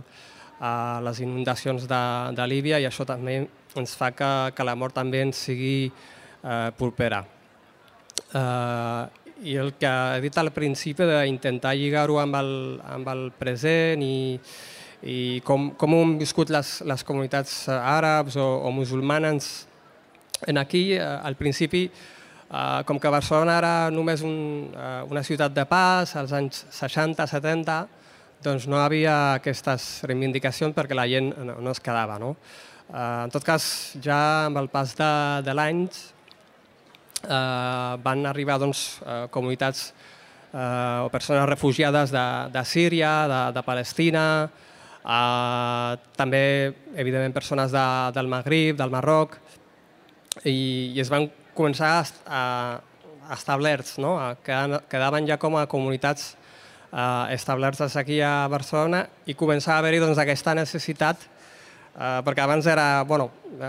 eh, les inundacions de, de Líbia, i això també ens fa que, que la mort també ens sigui eh, propera. Uh, I el que he dit al principi d'intentar lligar-ho amb, el, amb el present i, i com, com ho han viscut les, les comunitats àrabs o, o musulmanes en aquí, uh, al principi, uh, com que Barcelona era només un, uh, una ciutat de pas, als anys seixanta setanta, doncs no hi havia aquestes reivindicacions perquè la gent no, no es quedava, no? Uh, en tot cas, ja amb el pas de, de l'anys, Uh, van arribar doncs, uh, comunitats uh, o persones refugiades de, de Síria, de, de Palestina, uh, també, evidentment, persones de, del Magrib, del Marroc, i, i es van començar a, a establerts, no? Quedaven ja com a comunitats uh, establertes aquí a Barcelona i començava a haver-hi doncs, aquesta necessitat. Uh, perquè abans era, bueno,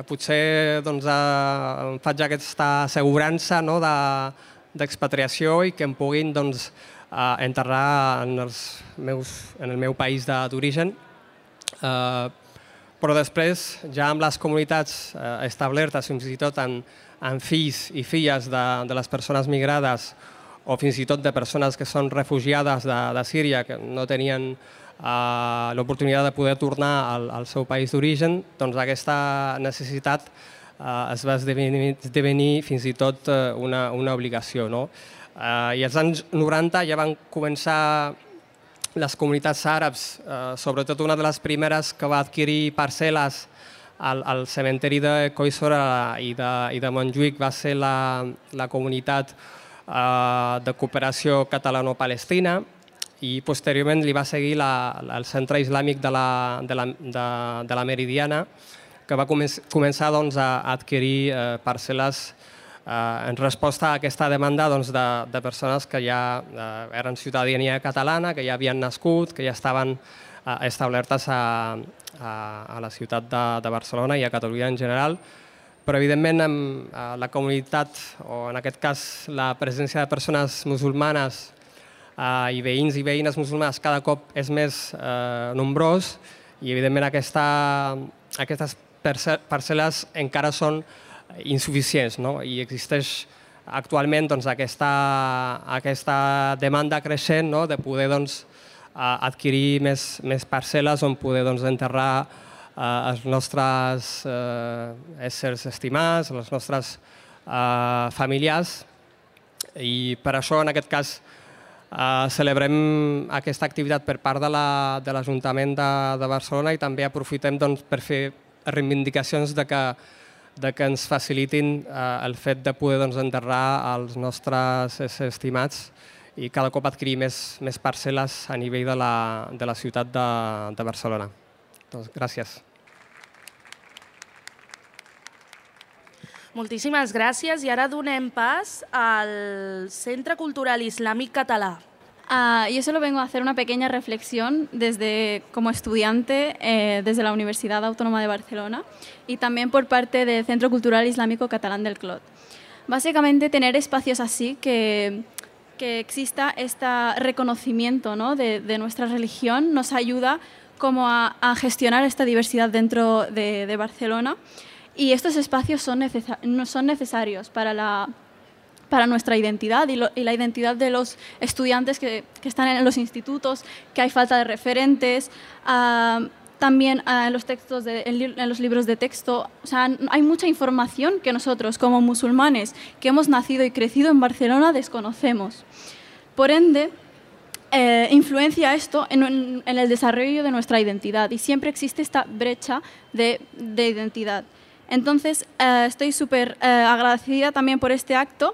potser doncs, uh, em faig aquesta assegurança, no, d'expatriació de, i que em puguin doncs, uh, enterrar en, els meus, en el meu país d'origen. Uh, però després, ja amb les comunitats uh, establertes, fins i tot en, en fills i filles de, de les persones migrades o fins i tot de persones que són refugiades de, de Síria, que no tenien uh, l'oportunitat de poder tornar al, al seu país d'origen, doncs aquesta necessitat uh, es va esdevenir, esdevenir fins i tot uh, una, una obligació. No? Uh, I als anys noranta ja van començar les comunitats àrabs, uh, sobretot una de les primeres que va adquirir parcel·les al, al cementeri de Collserola i de, i de Montjuïc va ser la, la comunitat uh, de cooperació catalano-palestina, i posteriorment li va seguir la, la, el centre islàmic de la, de la, de, de la Meridiana, que va començar doncs, a adquirir uh, parcel·les Uh, en resposta a aquesta demanda doncs, de, de persones que ja uh, eren ciutadania catalana, que ja havien nascut, que ja estaven uh, establertes a, a, a la ciutat de, de Barcelona i a Catalunya en general. Però, evidentment, amb uh, la comunitat, o en aquest cas la presència de persones musulmanes uh, i veïns i veïnes musulmanes cada cop és més uh, nombrós i, evidentment, aquesta, aquestes parcel·les encara són insuficients, no? I existeix actualment doncs, aquesta, aquesta demanda creixent, no? De poder doncs, adquirir més, més parcel·les on poder doncs, enterrar eh, els nostres eh, éssers estimats, els nostres eh, familiars, i per això en aquest cas eh, celebrem aquesta activitat per part de l'Ajuntament la, de, de Barcelona i també aprofitem doncs, per fer reivindicacions de que de que ens facilitin eh, el fet de poder doncs, enterrar els nostres estimats i cada cop adquirir més, més parcel·les a nivell de la, de la ciutat de, de Barcelona. Doncs, gràcies. Moltíssimes gràcies i ara donem pas al Centre Cultural Islàmic Català. Uh, yo solo vengo a hacer una pequeña reflexión desde, como estudiante eh, desde la Universidad Autónoma de Barcelona y también por parte del Centro Cultural Islámico Catalán del Clot. Básicamente tener espacios así, que, que exista este reconocimiento, ¿no? de, de nuestra religión, nos ayuda como a, a gestionar esta diversidad dentro de, de Barcelona, y estos espacios son, necesar, son necesarios para la para nuestra identidad y, lo, y la identidad de los estudiantes que, que están en los institutos, que hay falta de referentes, uh, también uh, en los textos, de, en, en los libros de texto. O sea, hay mucha información que nosotros, como musulmanes, que hemos nacido y crecido en Barcelona, desconocemos. Por ende, eh, influencia esto en, en, en el desarrollo de nuestra identidad, y siempre existe esta brecha de, de identidad. Entonces, eh, estoy súper eh, agradecida también por este acto.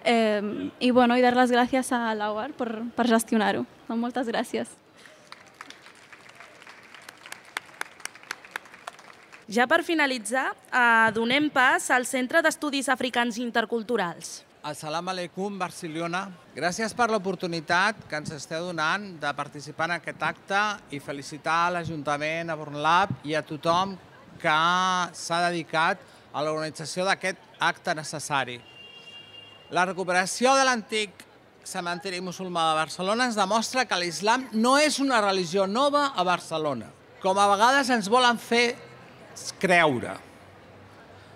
Eh, i, bueno, i dar les gràcies a l'A U A R per, per gestionar-ho. Moltes gràcies. Ja per finalitzar, eh, donem pas al Centre d'Estudis Africans Interculturals. Assalamu alaikum, Barcelona. Gràcies per l'oportunitat que ens esteu donant de participar en aquest acte i felicitar a l'Ajuntament, a Bornlab i a tothom que s'ha dedicat a l'organització d'aquest acte necessari. La recuperació de l'antic cementiri musulmà de Barcelona ens demostra que l'islam no és una religió nova a Barcelona, com a vegades ens volen fer creure.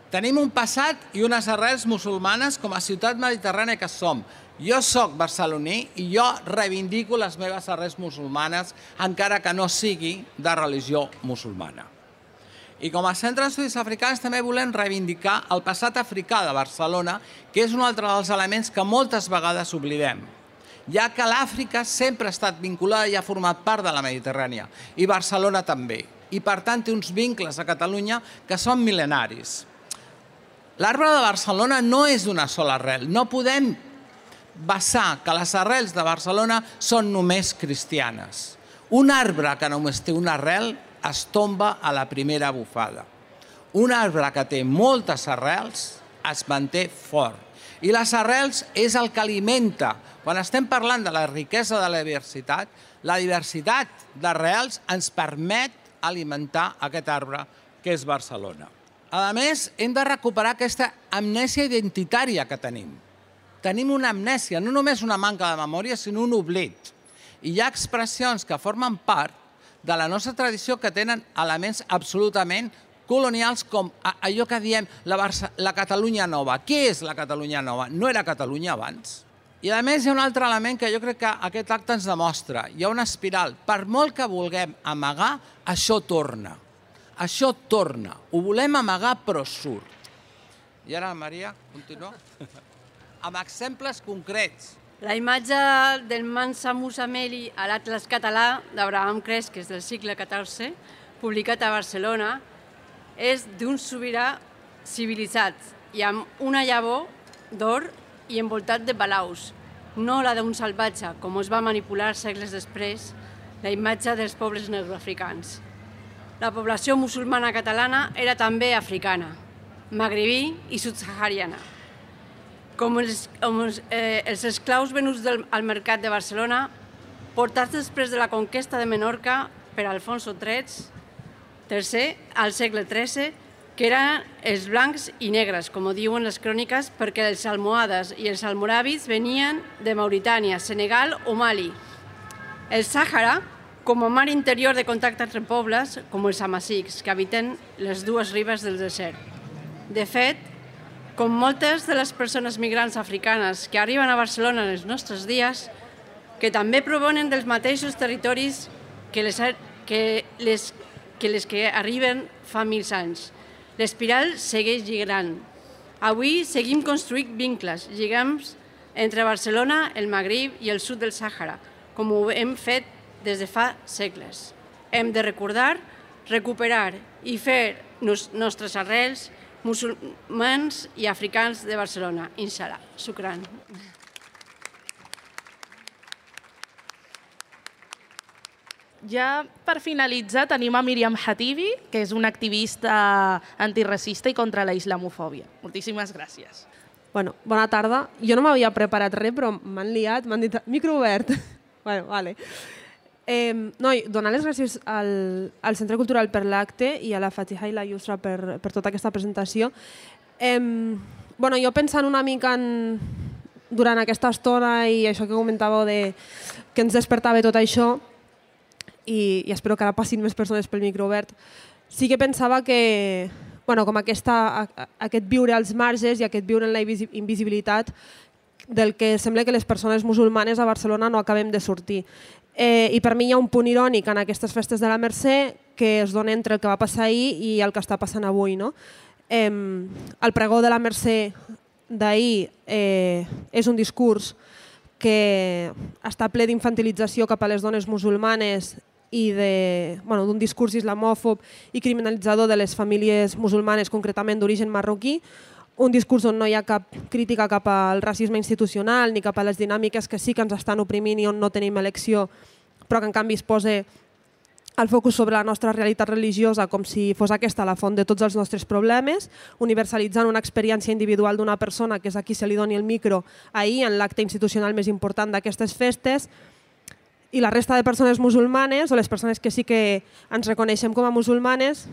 Tenim un passat i unes arrels musulmanes com a ciutat mediterrània que som. Jo soc barceloní i jo reivindico les meves arrels musulmanes, encara que no sigui de religió musulmana. I com a Centre d'Estudis Africans també volem reivindicar el passat africà de Barcelona, que és un altre dels elements que moltes vegades oblidem, ja que l'Àfrica sempre ha estat vinculada i ha format part de la Mediterrània, i Barcelona també, i per tant té uns vincles a Catalunya que són mil·lenaris. L'arbre de Barcelona no és d'una sola arrel, no podem basar que les arrels de Barcelona són només cristianes. Un arbre que només té una arrel es tomba a la primera bufada. Un arbre que té moltes arrels es manté fort. I les arrels és el que alimenta. Quan estem parlant de la riquesa de la diversitat, la diversitat d'arrels ens permet alimentar aquest arbre que és Barcelona. A més, hem de recuperar aquesta amnèsia identitària que tenim. Tenim una amnèsia, no només una manca de memòria, sinó un oblit. I hi ha expressions que formen part de la nostra tradició que tenen elements absolutament colonials com allò que diem la Catalunya nova. Què és la Catalunya nova? No era Catalunya abans? I a més hi ha un altre element que jo crec que aquest acte ens demostra. Hi ha una espiral. Per molt que vulguem amagar, això torna. Això torna. Ho volem amagar, però surt. I ara, Maria, continua. Amb exemples concrets. La imatge del Mansa Musameli a l'Atlas català d'Abraham Cresques del segle catorze, publicat a Barcelona, és d'un sobirà civilitzat i amb una llavor d'or i envoltat de balaus, no la d'un salvatge, com es va manipular segles després la imatge dels pobles negroafricans. La població musulmana catalana era també africana, magribí i subsahariana. Com els, com els, eh, els esclaus venuts del, al mercat de Barcelona, portats després de la conquesta de Menorca per Alfonso tercer al segle tretze, que eren els blancs i negres, com ho diuen les cròniques, perquè els almohades i els almoràvits venien de Mauritània, Senegal o Mali. El Sàhara, com a mar interior de contacte entre pobles, com els amazics, que habiten les dues ribes del desert. De fet, com moltes de les persones migrants africanes que arriben a Barcelona en els nostres dies, que també provenen dels mateixos territoris que les que, les, que, les que arriben fa mil anys. L'espiral segueix lligant. Avui seguim construint vincles, lligams entre Barcelona, el Magrib i el sud del Sàhara, com ho hem fet des de fa segles. Hem de recordar, recuperar i fer nos nostres arrels musulmans i africans de Barcelona. Inshallah. Shukran. Ja per finalitzar tenim a Míriam Hatibi, que és una activista antiracista i contra la islamofòbia. Moltíssimes gràcies. Bueno, bona tarda. Jo no m'havia preparat res, però m'han liat, m'han dit micro obert. Bueno, vale. Eh, no, donar les gràcies al, al Centre Cultural per l'acte i a la Fatiha i la Yusra per, per tota aquesta presentació. Eh, bueno, jo pensant una mica en, durant aquesta estona i això que comentàveu de que ens despertava tot això, i, i espero que ara passin més persones pel micro obert, sí que pensava que bueno, com aquesta, aquest viure als marges i aquest viure en la invisibilitat del que sembla que les persones musulmanes a Barcelona no acabem de sortir. Eh, I per mi hi ha un punt irònic en aquestes festes de la Mercè que es dona entre el que va passar ahir i el que està passant avui. No? Eh, el pregó de la Mercè d'ahir eh, és un discurs que està ple d'infantilització cap a les dones musulmanes i d'un bueno, discurs islamòfob i criminalitzador de les famílies musulmanes, concretament d'origen marroquí, un discurs on no hi ha cap crítica cap al racisme institucional ni cap a les dinàmiques que sí que ens estan oprimint i on no tenim elecció, però que en canvi es posa el focus sobre la nostra realitat religiosa com si fos aquesta la font de tots els nostres problemes, universalitzant una experiència individual d'una persona, que és a qui se li doni el micro ahir en l'acte institucional més important d'aquestes festes, i la resta de persones musulmanes, o les persones que sí que ens reconeixem com a musulmanes,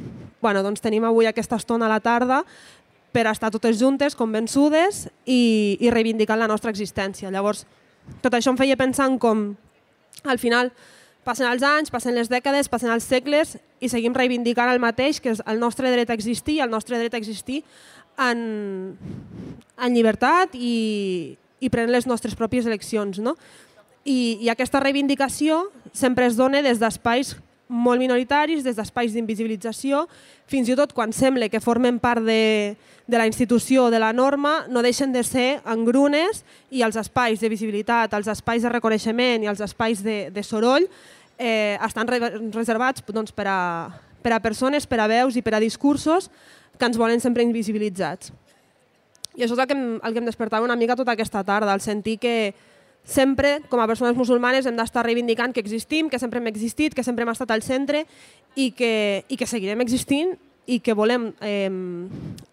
bueno, doncs tenim avui aquesta estona a la tarda per estar totes juntes, convençudes i, i reivindicant la nostra existència. Llavors, tot això em feia pensar en com, al final, passen els anys, passen les dècades, passen els segles i seguim reivindicant el mateix, que és el nostre dret a existir, el nostre dret a existir en, en llibertat i, i prenent les nostres pròpies eleccions. No? I, I aquesta reivindicació sempre es dona des d'espais molt minoritaris, des d'espais d'invisibilització, fins i tot quan sembla que formen part de, de la institució o de la norma, no deixen de ser engrunes i els espais de visibilitat, els espais de reconeixement i els espais de, de soroll eh, estan re reservats doncs, per, a, per a persones, per a veus i per a discursos que ens volen sempre invisibilitzats. I això és el que em, el que em despertava una mica tota aquesta tarda, el sentir que sempre, com a persones musulmanes, hem d'estar reivindicant que existim, que sempre hem existit, que sempre hem estat al centre i que, i que seguirem existint i que volem eh,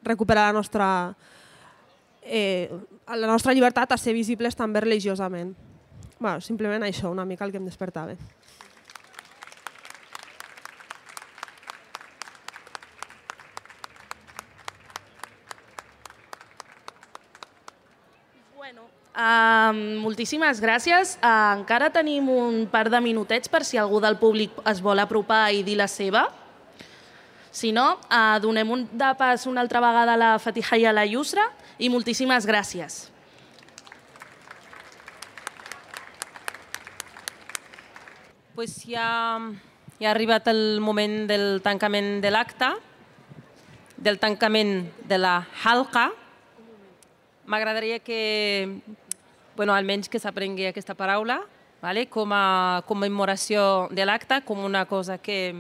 recuperar la nostra, eh, la nostra llibertat a ser visibles també religiosament. Bueno, simplement això, una mica el que em despertava. Uh, moltíssimes gràcies. Uh, encara tenim un par de minutets per si algú del públic es vol apropar i dir la seva. Si no, uh, donem un de pas una altra vegada a la Fatiha i a la Yusra i moltíssimes gràcies. pues ja, ja ha arribat el moment del tancament de l'acte, del tancament de la halqa. M'agradaria que, bueno, almenys que s'aprengui aquesta paraula, vale? Com a commemoració de l'acte, com una cosa que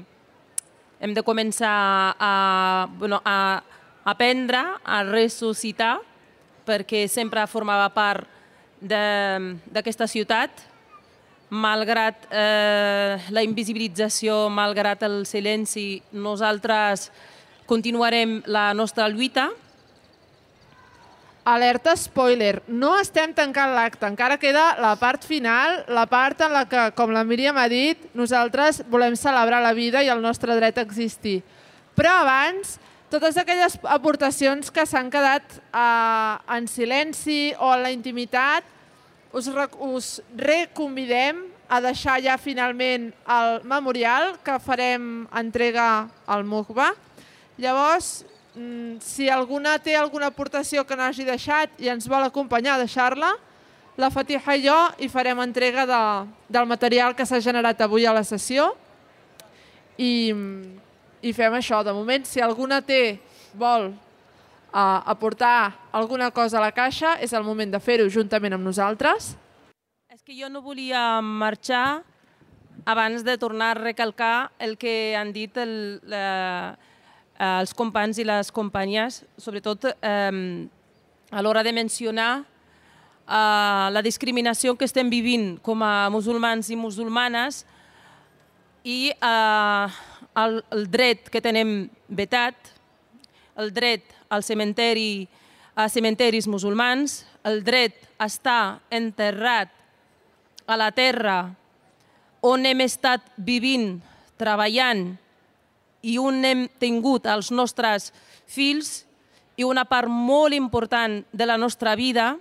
hem de començar a, bueno, a aprendre, a ressuscitar, perquè sempre formava part d'aquesta ciutat, malgrat eh, la invisibilització, malgrat el silenci, nosaltres continuarem la nostra lluita. Alerta spoiler, no estem tancant l'acte, encara queda la part final, la part en la que, com la Míriam ha dit, nosaltres volem celebrar la vida i el nostre dret a existir. Però abans, totes aquelles aportacions que s'han quedat eh, en silenci o en la intimitat, us, us reconvidem a deixar ja finalment el memorial que farem entrega al M U C B A. Llavors, si alguna té alguna aportació que no hagi deixat i ens vol acompanyar a deixar-la, la Fatiha i jo hi farem entrega de, del material que s'ha generat avui a la sessió i, i fem això. De moment, si alguna té, vol uh, aportar alguna cosa a la caixa, és el moment de fer-ho juntament amb nosaltres. És que jo no volia marxar abans de tornar a recalcar el que han dit el, la, els companys i les companyes, sobretot eh, a l'hora de mencionar eh, la discriminació que estem vivint com a musulmans i musulmanes i eh, el, el dret que tenem vetat, el dret al cementeri, a cementeris musulmans, el dret a estar enterrat a la terra on hem estat vivint, treballant i on hem tingut els nostres fills i una part molt important de la nostra vida,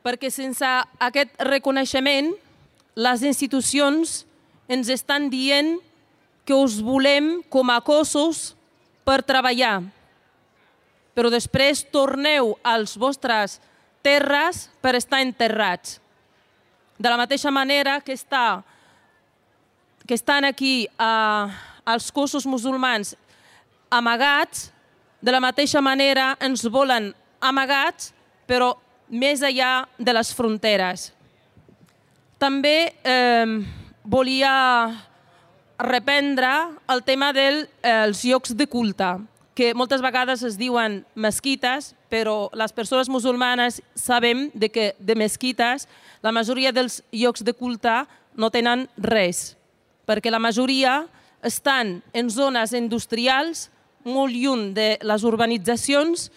perquè sense aquest reconeixement les institucions ens estan dient que us volem com a cossos per treballar, però després torneu als vostres terres per estar enterrats. De la mateixa manera que, està, que estan aquí eh, els cossos musulmans amagats, de la mateixa manera ens volen amagats, però més enllà de les fronteres. També eh, volia reprendre el tema dels eh, llocs de culte, que moltes vegades es diuen mesquites, però les persones musulmanes sabem de que de mesquites la majoria dels llocs de culte no tenen res, perquè la majoria estan en zones industrials, molt lluny de les urbanitzacions,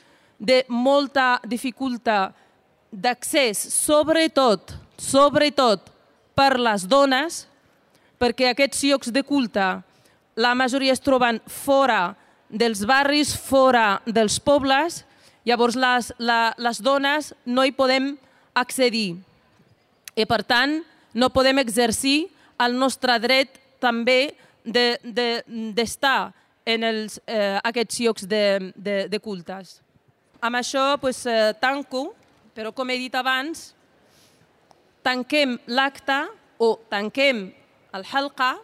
de molta dificultat d'accés, sobretot, sobretot per les dones, perquè aquests llocs de culte, la majoria es troben fora dels barris, fora dels pobles, llavors les, la, les dones no hi podem accedir. I per tant, no podem exercir el nostre dret també d'estar de, de, en els, eh, aquests llocs de, de, de cultes. Amb això pues, eh, tanco, però com he dit abans, tanquem l'acte o tanquem el halqa,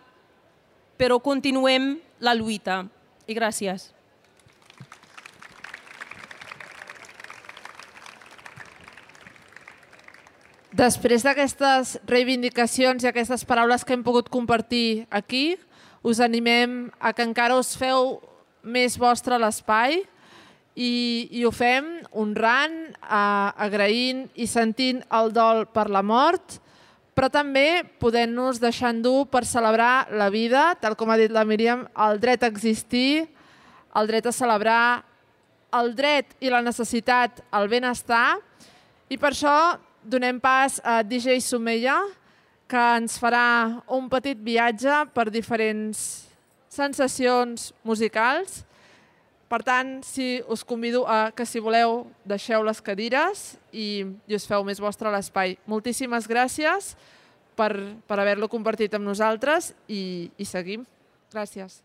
però continuem la lluita. I gràcies. Després d'aquestes reivindicacions i aquestes paraules que hem pogut compartir aquí, us animem a que encara us feu més vostre l'espai i, i ho fem honrant, agraint i sentint el dol per la mort, però també podent-nos deixar endur per celebrar la vida, tal com ha dit la Míriam, el dret a existir, el dret a celebrar, el dret i la necessitat al benestar, i per això donem pas a D J Sumeya, que ens farà un petit viatge per diferents sensacions musicals. Per tant, si us convido a que, si voleu, deixeu les cadires i, i us feu més vostre l'espai. Moltíssimes gràcies per, per haver-lo compartit amb nosaltres i, i seguim. Gràcies.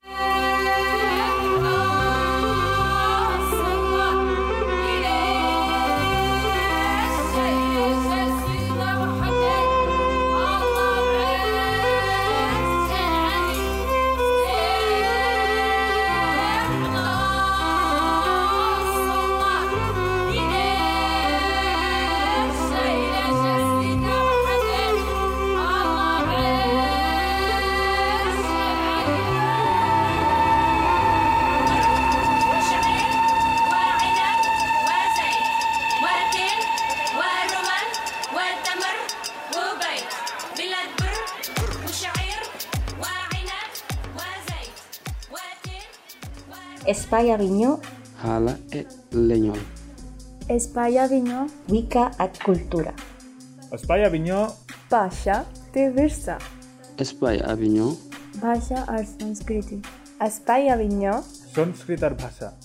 Espai Avinyó, Hala e Lenyol. Espai Avinyó, Wicca et Cultura. Espai Avinyó, Bhasha te Virsa. Espai Avinyó, Bhasha और संस्कृति. Espai Avinyó, Sanskrit और भाषा.